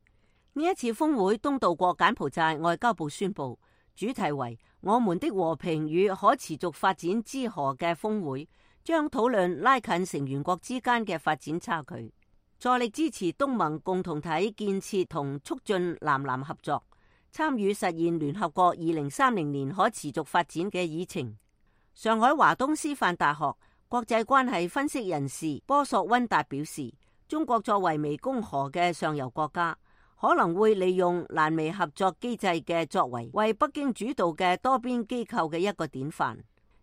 呢一次峰會東道國柬埔寨外交部宣布，主題為我們的和平與可持續發展之河嘅峰會，將討論拉近成員國之間嘅發展差距，助力支持東盟共同體建設同促進南南合作，參與實現聯合國二零三零年可持續發展嘅議程。上海華東師範大學國際關係分析人士波索溫達表示，中國作為湄公河嘅上游國家，可能會利用瀾美合作機制嘅作為，為北京主導嘅多邊機構嘅一個典範，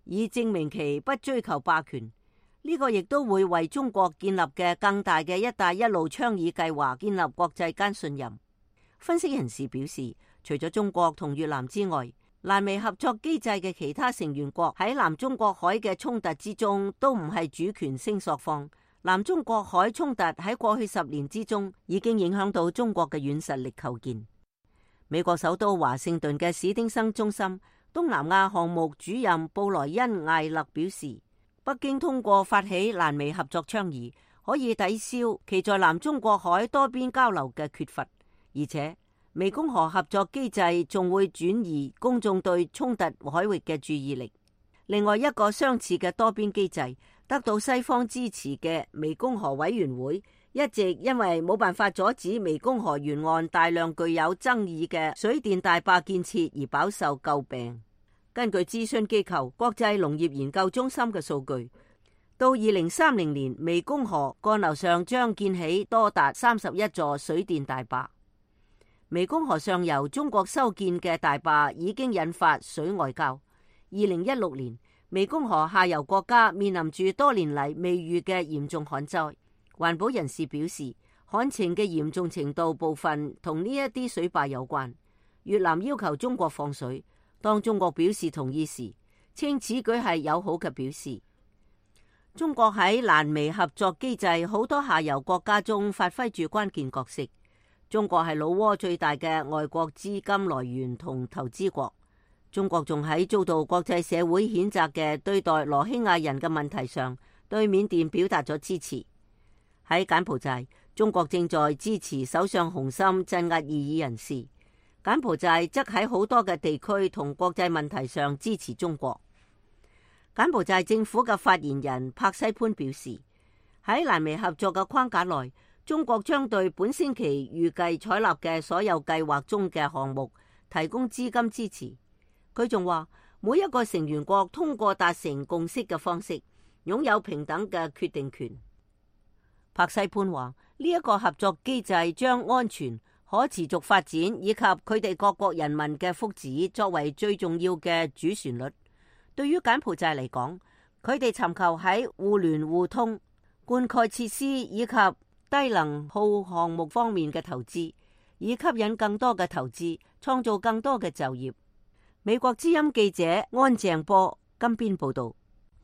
以證明其不追求霸權。呢、這個亦都會為中國建立嘅更大嘅一帶一路倡議計劃建立國際間信任。分析人士表示，除咗中國同越南之外，瀾美合作機制嘅其他成員國喺南中國海嘅衝突之中都唔係主權聲索方。南中國海衝突喺過去十年之中已經影響到中國嘅軟實力構建。美國首都華盛頓嘅史丁生中心東南亞項目主任布萊恩艾勒表示，北京通過發起瀾美合作倡議，可以抵消其在南中國海多邊交流嘅缺乏，而且湄公河合作機制仲會轉移公眾對衝突海域嘅注意力。另外一個相似嘅多邊機制，得到西方支持嘅湄公河委員會，一直因為冇辦法阻止湄公河沿岸大量具有爭議嘅水電大壩建設而飽受詬病。根據諮詢機構國際農業研究中心嘅數據，到二零三零年，湄公河幹流上將建起多達三十一座水電大壩。湄公河上游中國修建嘅大壩已經引發水外交。二零一六年，湄公河下游國家面臨住多年嚟未遇嘅嚴重旱災。環保人士表示，旱情嘅嚴重程度部分同呢一啲水壩有關。越南要求中國放水，當中國表示同意時，稱此舉係友好嘅表示。中國喺瀾美合作機制好多下游國家中發揮住關鍵角色。中國係老撾最大嘅外國資金來源同投資國。中國仲喺遭到國際社會譴責嘅對待羅興亞人嘅問題上，對緬甸表達咗支持。喺柬埔寨，中國正在支持首相洪森鎮壓異議人士。柬埔寨則喺好多嘅地區同國際問題上支持中國。柬埔寨政府嘅發言人柏西潘表示，喺瀾美合作嘅框架內，中國將對本星期預計採納嘅所有計劃中嘅項目提供資金支持。佢仲話，每一個成員國通過達成共識嘅方式，擁有平等嘅決定權。柏西潘話，呢一個合作機制將安全、可持續發展以及佢哋各國人民嘅福祉作為最重要嘅主旋律。對於柬埔寨嚟講，佢哋尋求喺互聯互通、灌溉設施以及低能耗項目方面嘅投資，以吸引更多嘅投資，創造更多嘅就業。美國之音記者安鄭波金邊報道。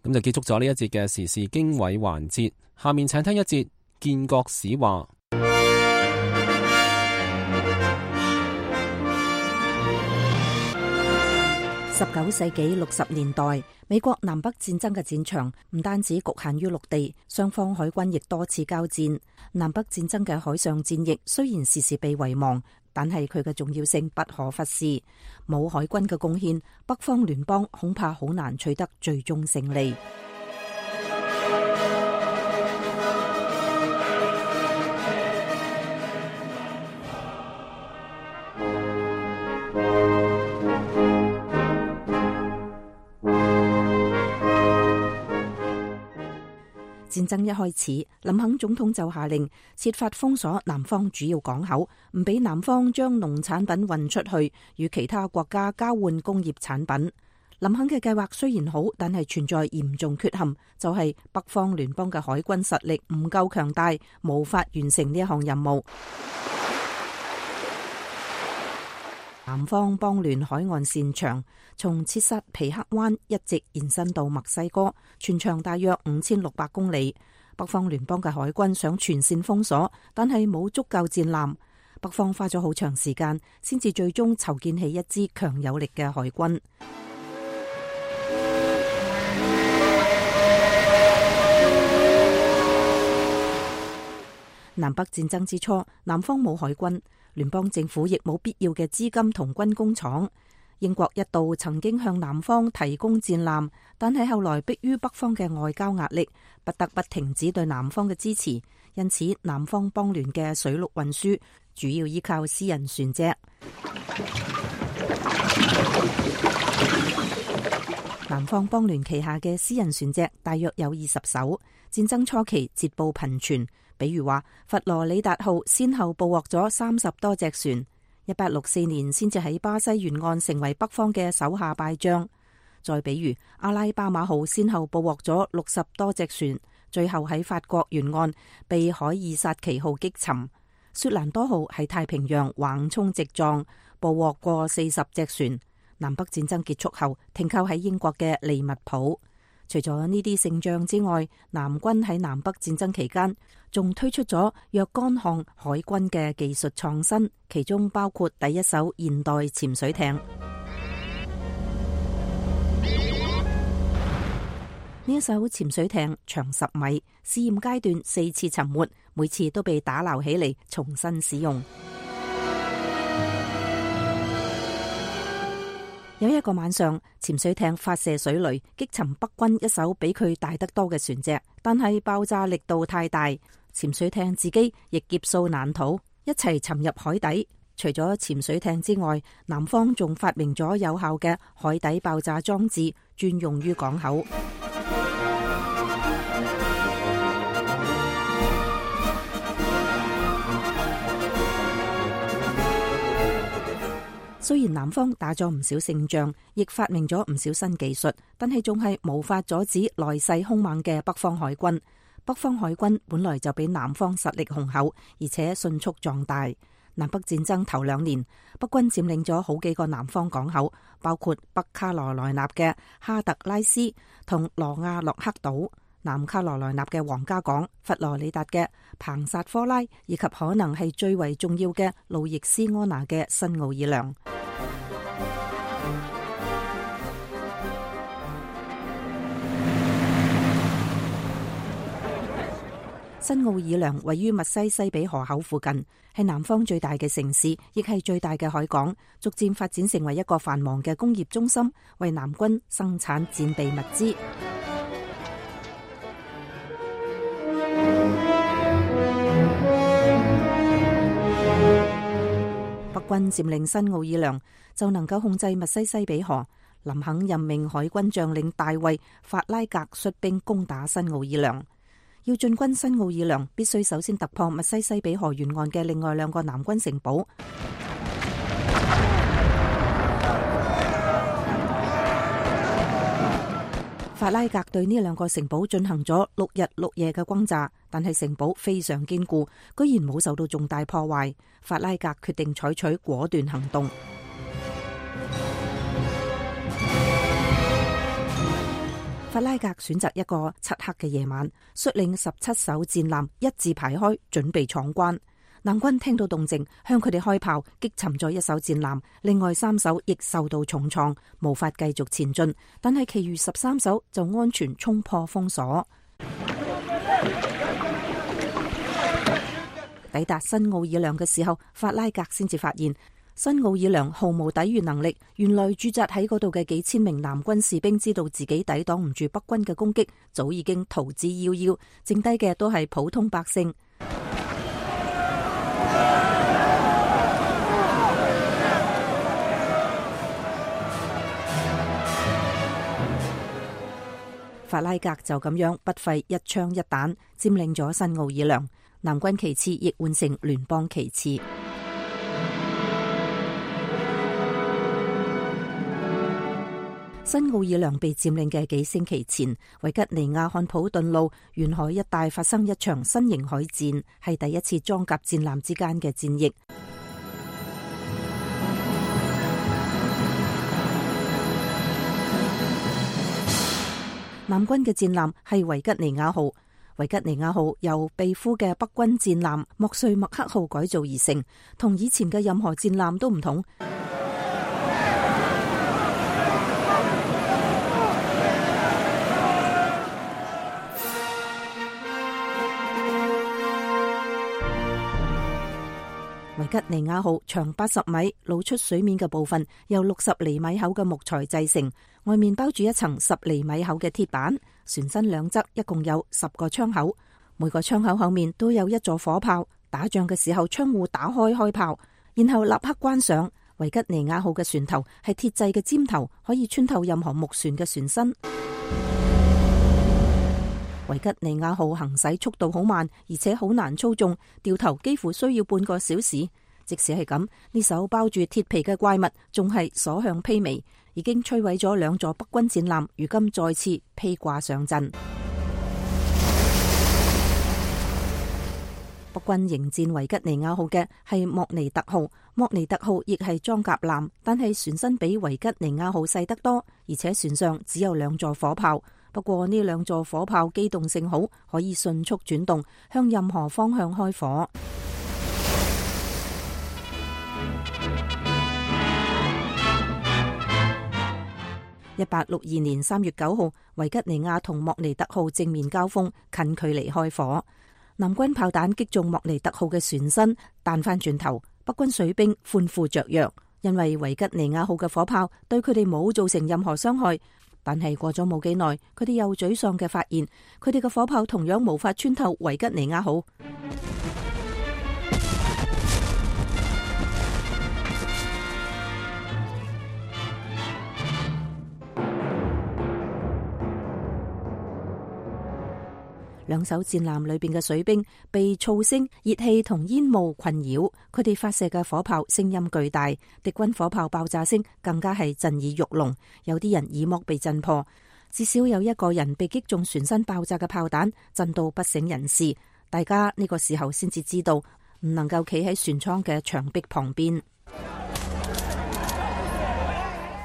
咁就結束咗呢一節嘅時事經緯環節，下面請聽一節建國史話。十九世紀六十年代，美國南北戰爭嘅戰場唔單止局限於陸地，雙方海軍亦多次交戰。南北戰爭嘅海上戰役雖然時時被遺忘，但係佢嘅重要性不可忽視。冇海軍嘅貢獻，北方聯邦恐怕好難取得最終勝利。戰爭一開始，林肯總統就下令設法封鎖南方主要港口，唔俾南方將農產品運出去，與其他國家交換工業產品。林肯嘅計劃雖然好，但係存在嚴重缺陷，就係北方聯邦嘅海軍實力唔夠強大，無法完成呢一項任務。南方邦聯海岸線長，從切薩皮克灣一直延伸到墨西哥，全長大約五千六百公里。北方聯邦嘅海軍想全線封鎖，但係冇足夠戰艦。北方花咗好長時間，先至最終籌建起一支強有力嘅海軍。南北戰爭之初，南方冇海軍，聯邦政府亦冇必要嘅資金同軍工廠。英國一度曾經向南方提供戰艦，但係後來迫於北方嘅外交壓力，不得不停止對南方嘅支持。因此，南方邦聯嘅水陸運輸主要依靠私人船隻。南方邦聯旗下嘅私人船隻大約有二十艘，戰爭初期捷報頻傳。比如話，佛羅里達號先後捕獲咗三十多隻船，一八六四年先至喺巴西沿岸成為北方嘅手下敗將。再比如，阿拉巴馬號先後捕獲咗六十多隻船，最後喺法國沿岸被海爾薩奇號擊沉。雪蘭多號喺太平洋橫衝直撞，捕獲過四十隻船。南北戰爭結束後，停靠喺英國嘅利物浦。除咗呢啲勝仗之外，南軍喺南北戰爭期間仲推出咗若干項海軍嘅技術創新，其中包括第一艘現代潛水艇。呢一艘潛水艇長十米，試驗階段四次沉沒，每次都被打撈起嚟重新使用。有一個晚上，潛水艇發射水雷擊沉北軍一艘比佢大得多嘅船隻，但係爆炸力度太大，潛水艇自己亦劫數難逃，一齊沉入海底。除咗潛水艇之外，南方仲發明咗有效嘅海底爆炸裝置，專用於港口。雖然南方打咗唔少勝仗，亦發明咗唔少新技術，但係仲係無法阻止來勢兇猛嘅北方海軍。北方海軍本來就比南方實力雄厚，而且迅速壯大。南北戰爭頭兩年，北軍佔領咗好幾個南方港口，包括北卡羅來納嘅哈特拉斯同羅亞洛克島，南卡羅來納嘅皇家港、佛羅里達嘅彭薩科拉，以及可能係最為重要嘅路易斯安那嘅新奧爾良。新奧爾良位於密西西比河口附近，係南方最大嘅城市，亦係最大嘅海港，逐漸發展成為一個繁忙嘅工業中心，為南軍生產戰備物資。北軍佔領新奧爾良，就能夠控制密西西比河。林肯任命海軍將領大衛法拉格率兵攻打新奧爾良。要進軍新奧爾良，必須首先突破密西西比河沿岸嘅另外兩個南軍城堡。法拉格對呢兩個城堡進行咗六日六夜嘅轟炸，但係城堡非常堅固，居然冇受到重大破壞。法拉格決定採取果斷行動。法拉格選擇一個漆黑嘅夜晚，率領十七艘戰艦一字排開，準備闖關。南軍聽到動靜，向佢哋開炮，擊沉咗一艘戰艦，另外三艘亦受到重創，無法繼續前進。但係其餘十三艘就安全衝破封鎖。抵達新奧爾良嘅時候，法拉格先至發現新奧爾良毫無抵禦能力。原來駐紮喺嗰度嘅幾千名南軍士兵知道自己抵擋唔住北軍嘅攻擊，早已經逃之夭夭，剩低嘅都係普通百姓。法拉格就咁樣不費一槍一彈佔領咗新奧爾良，南軍旗幟亦換成聯邦旗幟。新奧爾良被佔領嘅幾星期前，維吉尼亞漢普頓路沿海一帶發生一場新型海戰，係第一次裝甲戰艦之間嘅戰役。南軍嘅戰艦係維吉尼亞號，維吉尼亞號由被俘嘅北軍戰艦莫瑞麥克號改造而成，同以前嘅任何戰艦都唔同。維吉尼亞號長八十米，露出水面嘅部分由六十厘米厚嘅木材製成，外面包住一層十厘米厚嘅鐵板。船身兩側一共有十個窗口，每個窗口後面都有一座火炮。打仗嘅時候，窗戶打開開炮，然後立刻關上。維吉尼亞號嘅船頭係鐵製嘅尖頭，可以穿透任何木船嘅船身。維吉尼亞號行駛速度好慢，而且好難操縱，掉頭幾乎需要半個小時。即使係咁，呢艘包住鐵皮嘅怪物仲係所向披靡，已經摧毀咗兩座北軍戰艦，如今再次披掛上陣。北軍迎戰維吉尼亞號嘅係莫尼特號，莫尼特號亦係裝甲艦，但係船身比維吉尼亞號細得多，而且船上只有兩座火炮。不過呢兩座火炮機動性好，可以迅速轉動，向任何方向開火。一八六二年三月九號，維吉尼亞同莫尼特號正面交鋒，近距離開火。南軍炮彈擊中莫尼特號嘅船身，彈翻轉頭，北軍水兵歡呼雀躍，因為維吉尼亞號嘅火炮對佢哋冇造成任何傷害。但係過咗冇幾耐，佢哋又沮喪嘅發現，佢哋嘅火炮同樣無法穿透維吉尼亞號。兩艘戰艦裏邊嘅水兵被噪聲、熱氣同煙霧困擾，佢哋發射嘅火炮聲音巨大，敵軍火炮爆炸聲更加係震耳欲聾，有啲人耳膜被震破，至少有一個人被擊中船身爆炸嘅炮彈，震到不省人事。大家呢個時候先至知道，唔能夠企喺船艙嘅牆壁旁邊。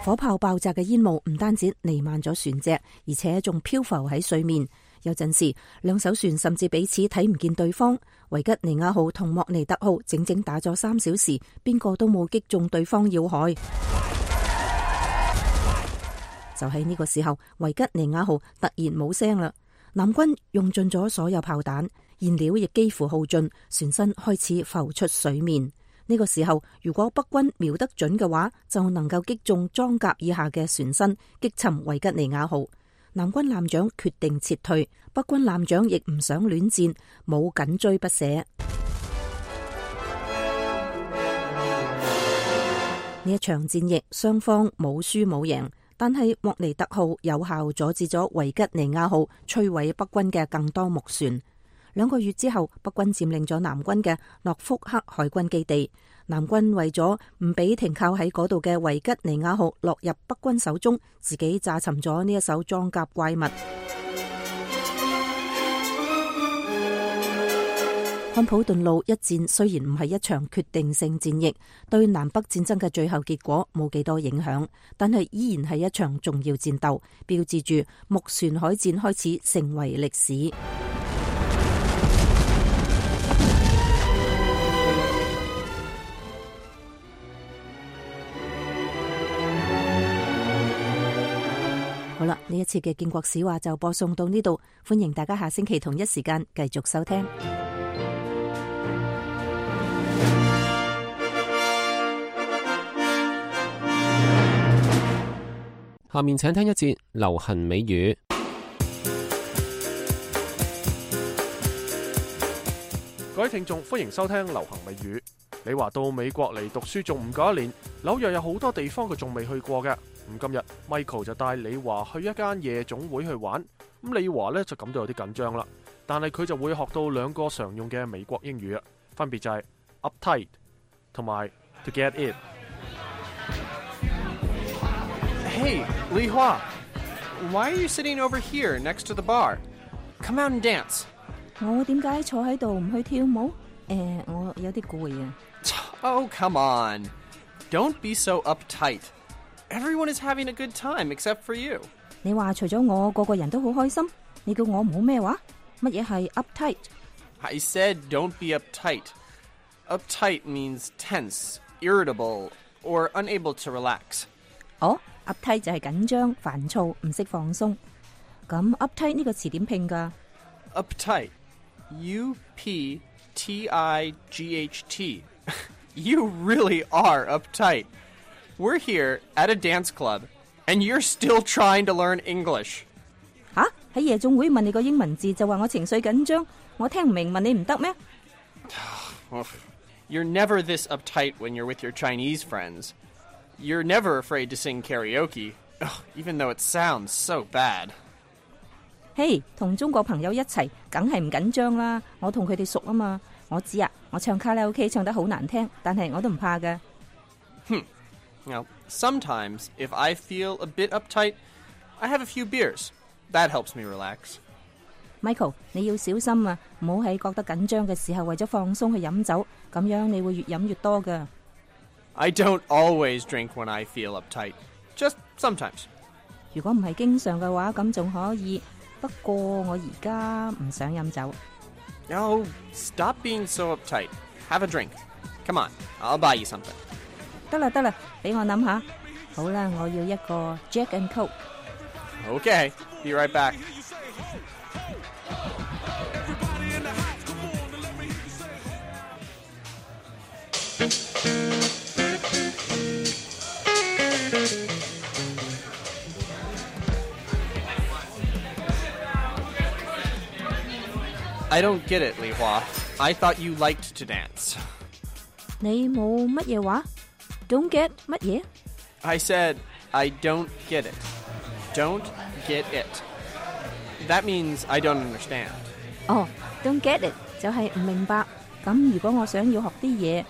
火炮爆炸嘅煙霧唔單止彌漫咗船隻，而且仲漂浮喺水面。有陣時，兩艘船甚至彼此睇唔見對方。維吉尼亞號同莫尼特號整整打咗三小時，邊個都冇擊中對方要害。就喺呢個時候，維吉尼亞號突然冇聲啦。南軍用盡咗所有炮彈，燃料亦幾乎耗盡，船身開始浮出水面。呢個時候，如果北軍瞄得準嘅話，就能夠擊中裝甲以下嘅船身，擊沉維吉尼亞號。南軍艦長決定撤退，北軍艦長亦唔想亂戰，冇緊追不捨。呢一場戰役雙方冇輸冇贏，但係莫尼特號有效阻止咗維吉尼亞號摧毀北軍嘅更多木船。兩個月之後，北軍佔領咗南軍嘅諾福克海軍基地。南軍為咗唔俾停靠喺嗰度嘅維吉尼亞號落入北軍手中，自己炸沉咗呢一艘裝甲怪物。漢普頓路一戰雖然唔係一場決定性戰役，對南北戰爭嘅最後結果冇幾多影響，但係依然係一場重要戰鬥，標誌住木船海戰開始成為歷史。呢一次嘅建國史話就播送到呢度，歡迎大家下星期同一時間繼續收聽。下面請聽一節流行美語。各位聽眾，歡迎收聽流行美語。你話到美國嚟讀書仲唔夠一年，紐約有好多地方佢仲未去過嘅。咁今日 Michael 就帶李華去一間夜總會去玩。咁李華呢就感到有啲緊張啦，但係佢就會學到兩個常用嘅美國英語啊，分別就係 uptight 同埋 to get it。Hey, Li Hua, why are you sitting over here next to the bar? Come out and dance. 我點解坐喺度唔去跳舞？誒，我有啲攰啊。Oh, come on. Don't be so uptight. Everyone is having a good time except for you. 你話除咗我，個個人都好開心。你叫我唔好咩話？乜嘢係 uptight? I said don't be uptight. Uptight means tense, irritable, or unable to relax. 哦，uptight 就係緊張、煩躁、唔識放鬆。咁 uptight 呢個詞點拼㗎？ Uptight. U P T I G H T. You really are uptight. We're here at a dance club, and you're still trying to learn English. 吓？喺夜總會問你個英文字就話我情緒緊張，我聽唔明，問你唔得咩？ You're never this uptight when you're with your Chinese friends. You're never afraid to sing karaoke, even though it sounds so bad. 嘿，同中國朋友一齊，梗係唔緊張啦。我同佢哋熟啊嘛。我知啊，我唱卡拉 OK 唱得好難聽，但係我都唔怕㗎。Hmm. Now, sometimes, if I feel a bit uptight, I have a few beers. That helps me relax. Michael, 你要小心啊，唔好喺覺得緊張嘅時候為咗放鬆去飲酒，咁樣你會越飲越多㗎。I don't always drink when I feel uptight. Just sometimes. 如果唔係經常嘅話，咁仲可以。不過我而家唔想飲酒。Oh, stop being so uptight. Have a drink. Come on, I'll buy you something. 得啦得啦，俾我諗下。好啦，我要一個 Jack and Coke。Okay, be right back. I don't get it, Li Hua. I thought you liked to dance. 你冇乜嘢話 ？Don't get 乜嘢 I said, I don't get it. Don't get it. That means I don't understand. 哦 ，Don't get it 就係唔明白。咁如果我想要學啲嘢，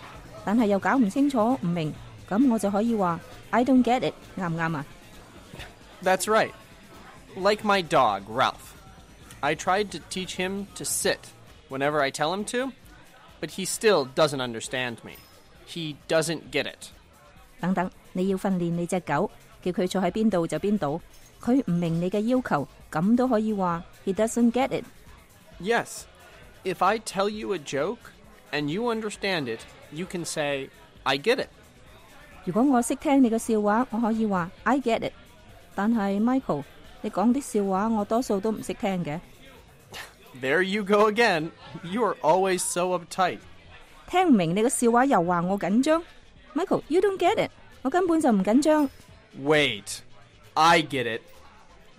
但係又搞唔清楚唔明，咁我就可以話 I don't get it， 啱唔啱啊？ That's right. Like my dog, Ralph. I tried to teach him to sit whenever I tell him to, but he still doesn't understand me. He doesn't get it. 等等，你要訓練你隻狗，叫佢坐喺邊度就邊度。佢唔明你嘅要求，咁都可以話 He doesn't get it. Yes. If I tell you a joke and you understand it, you can say, I get it. 如果我識聽你嘅笑話，我可以話 I get it。但係 Michael，你講啲笑話我多數都唔識聽嘅。There you go again. You are always so uptight. 聽唔明你個笑話又話我緊張。Michael, you don't get it. 我根本就唔緊張。Wait. I get it.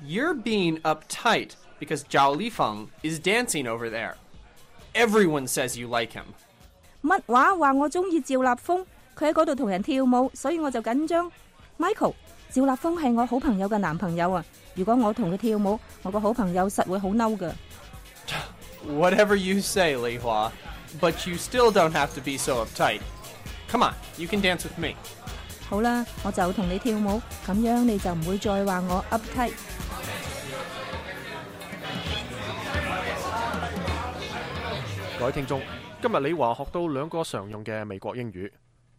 You're being uptight because Zhao Lifeng is dancing over there. Everyone says you like him. 乜話話我中意趙立峰？佢喺嗰度同人跳舞，所以我就緊張。Michael，趙立峰係我好朋友嘅男朋友啊！如果我同佢跳舞，我個好朋友實會好嬲㗎。Whatever you say, Li Hua, but you still don't have to be so uptight. Come on, you can dance with me. 好啦，我就同你跳舞，咁樣你就唔會再話我 uptight。各位聽眾，今日李華學到兩個常用嘅美國英語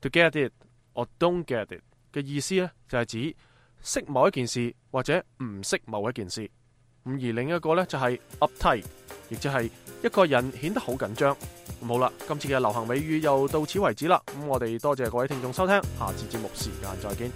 ，to get it or don't get it 嘅意思呢，就係指識某一件事或者唔識某一件事。咁而另一個呢，就係 uptight， 亦即係一個人顯得好緊張。咁好啦，今次嘅流行美語又到此為止啦。咁我哋多謝各位聽眾收聽，下次節目時間再見。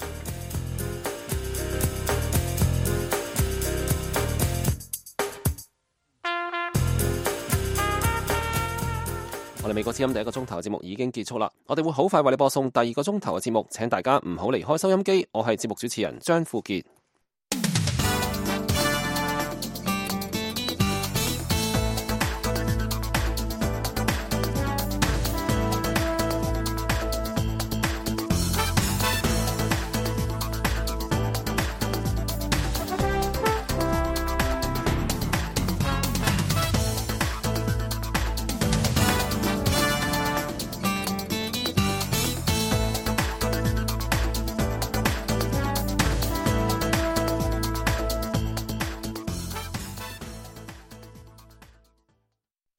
我哋美國之音第一個鐘頭嘅節目已經結束啦，我哋會好快為你播送第二個鐘頭嘅節目，請大家唔好離開收音機。我係節目主持人張富傑。